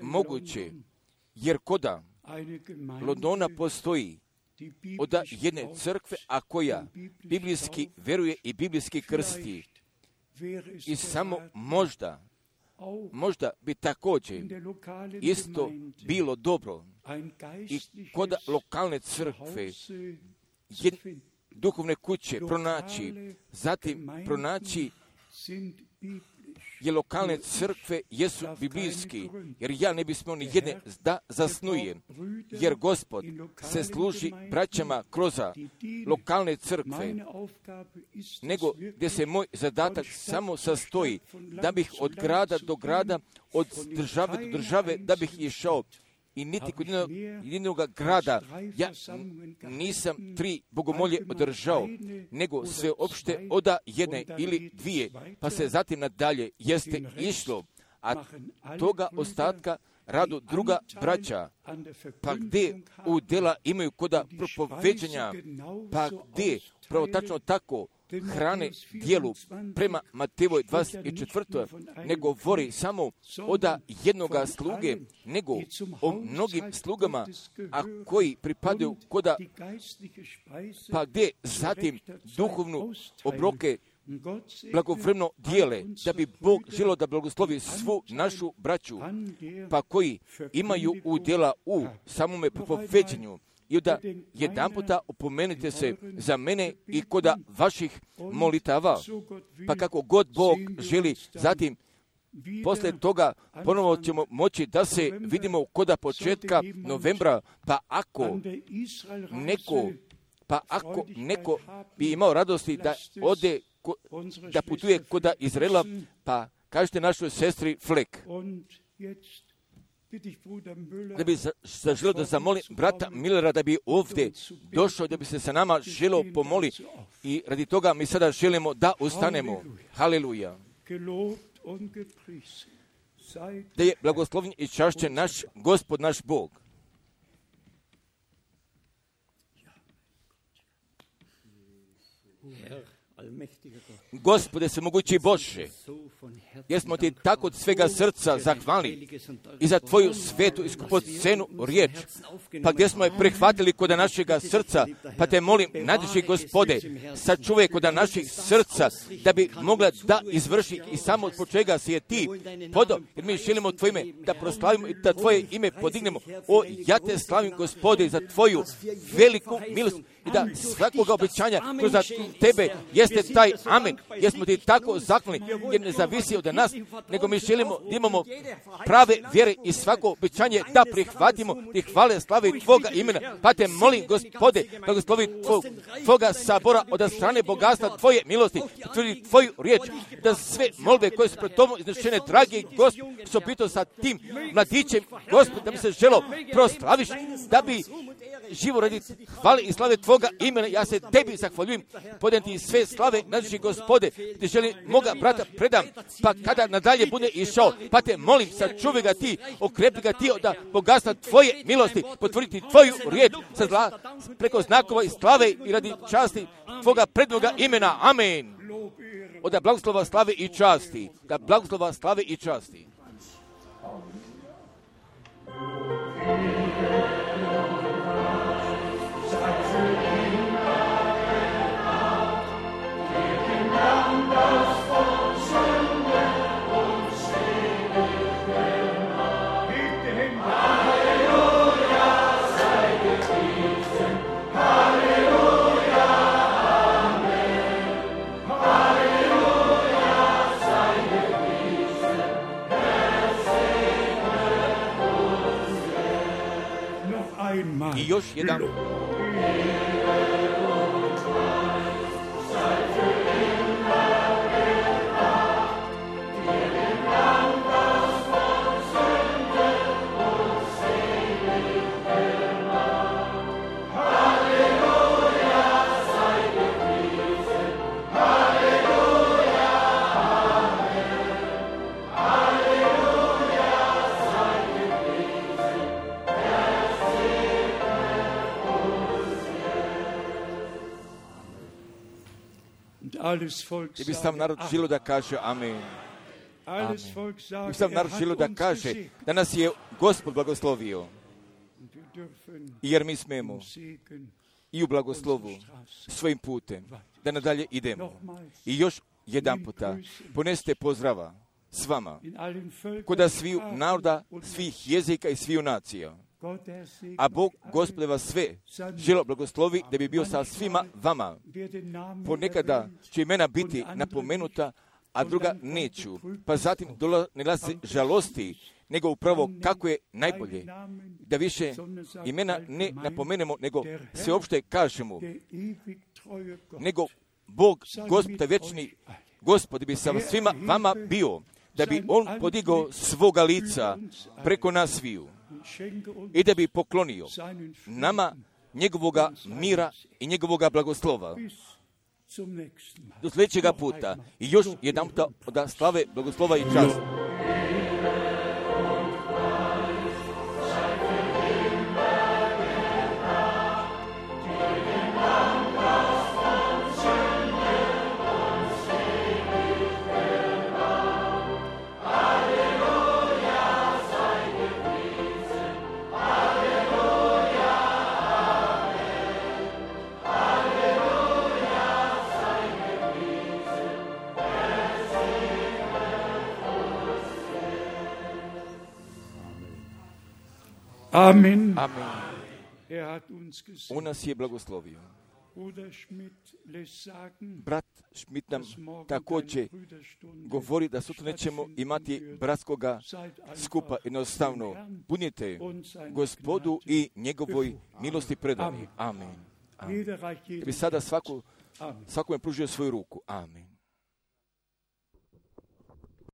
moguće, jer koda Londona postoji od jedne crkve, a koja biblijski veruje i biblijski krsti, i samo možda bi također isto bilo dobro i kod lokalne crkve duhovne kuće pronaći, zatim pronaći je lokalne crkve jesu biblijski, jer ja ne bismo ni jedne da zasnujem, jer Gospod se služi braćama kroz lokalne crkve, nego gdje se moj zadatak samo sastoji da bih od grada do grada, od države do države, da bih išao. I niti kod jednog grada ja nisam 3 bogomolje održao, nego sve opšte od jedne ili 2, pa se zatim nadalje jeste išlo, a toga ostatka radu druga braća, pa gdje udjela imaju koda propoveđanja, pa gdje pravo tačno tako hrane dijelu prema Matejevoj 24. ne govori samo od jednoga sluge, nego o mnogim slugama, a koji pripadaju koda, pa gdje zatim duhovnu obroke blagovremeno dijele, da bi Bog želio da blagoslovi svu našu braću, pa koji imaju udjela u samome propoveđenju. I onda jedan puta opomenite se za mene i koda vaših molitava, pa kako god Bog želi, zatim poslije toga ponovo ćemo moći da se vidimo koda početka novembra, pa ako neko bi imao radosti da ode, da putuje koda Izraela, pa kažete našoj sestri Flek, Und jetzt bitte ich Bruder Müller, da bi zaželio da zamolim brata Millera da bi ovdje došao, da bi se sa nama želio pomoli i radi toga mi sada želimo da ustanemo. Haleluja. gelobt und gepriesen sei Da je blagoslovljen i čašćen naš Gospod, naš Bog. Gospode svemogući Bože, jer smo ti tako od svega srca zahvalni i za tvoju svetu i skupocenu riječ, pa gdje smo je prihvatili kod našega srca, pa te molim, najdraži Gospode, sačuvaj kod naših srca, da bi mogla da izvrši i samo od čega si je ti podao, jer mi želimo tvoje ime da proslavimo i da tvoje ime podignemo. O, ja te slavim, Gospode, za tvoju veliku milost i da svakoga obećanja kroz tebe jeste taj amen, jer smo ti tako zahvalni, jer ne zavisi od nas, nego mi želimo da imamo prave vjere i svako obećanje da prihvatimo i hvale slave tvoga imena. Pa te molim, Gospode, blagoslovi tvoga sabora od strane bogatstva tvoje milosti, potvrdi tvoju riječ, da sve molbe koje su pred tobom iznešene, dragi Gospod, što pitao sa tim mladićem, Gospod, da bi se želo proslaviš, da bi živo radi hvale i slave tvoga imena. Ja se tebi zahvaljujem, podajem ti sve slave, najdraži Gospode, ti želim moga brata predam, pa kada nadalje bude išao, pa te molim, sačuvaj ga ti, okrepi ga ti od bogatstva tvoje milosti, potvrditi tvoju riječ preko znakova i slave i radi časti tvoga prednoga imena. Amen. Od blagoslova slave i časti, da blagoslova slave i časti. I još jedan. I bi sam narod želio da kaže amen. Amen. I bi sam narod želio da kaže da nas je Gospod blagoslovio. Jer mi smemo i u blagoslovu svojim putem da nadalje idemo. I još jedan puta poneste pozdrava s vama kod sviju naroda, svih jezika i sviju nacija. A Bog, Gospode, vas sve želo blagoslovi da bi bio sa svima vama. Ponekada će imena biti napomenuta, a druga neću. Pa zatim ne glasi žalosti, nego upravo kako je najbolje. Da više imena ne napomenemo, nego sveopšte kažemo. Nego Bog, Gospod vječni, Gospod bi sa svima vama bio, da bi On podigao svoga lica preko nas sviju i da bi poklonio nama njegovoga mira i njegovoga blagoslova. Do sljedećega puta i još jedan puta od slave, blagoslova i časti. Amen. Amen. Er hat uns gesegnet. On nas je blagoslovio. Bruder Schmidt lässt sagen, Brat Schmidt nam također govori da sutra nećemo imati bratskoga skupa. Jednostavno, budite Gospodu i njegovoj milosti predani. Amen. Amen. jeder reicht jedem Ja bi sada Amen. svakome pružio svoju ruku. Amen.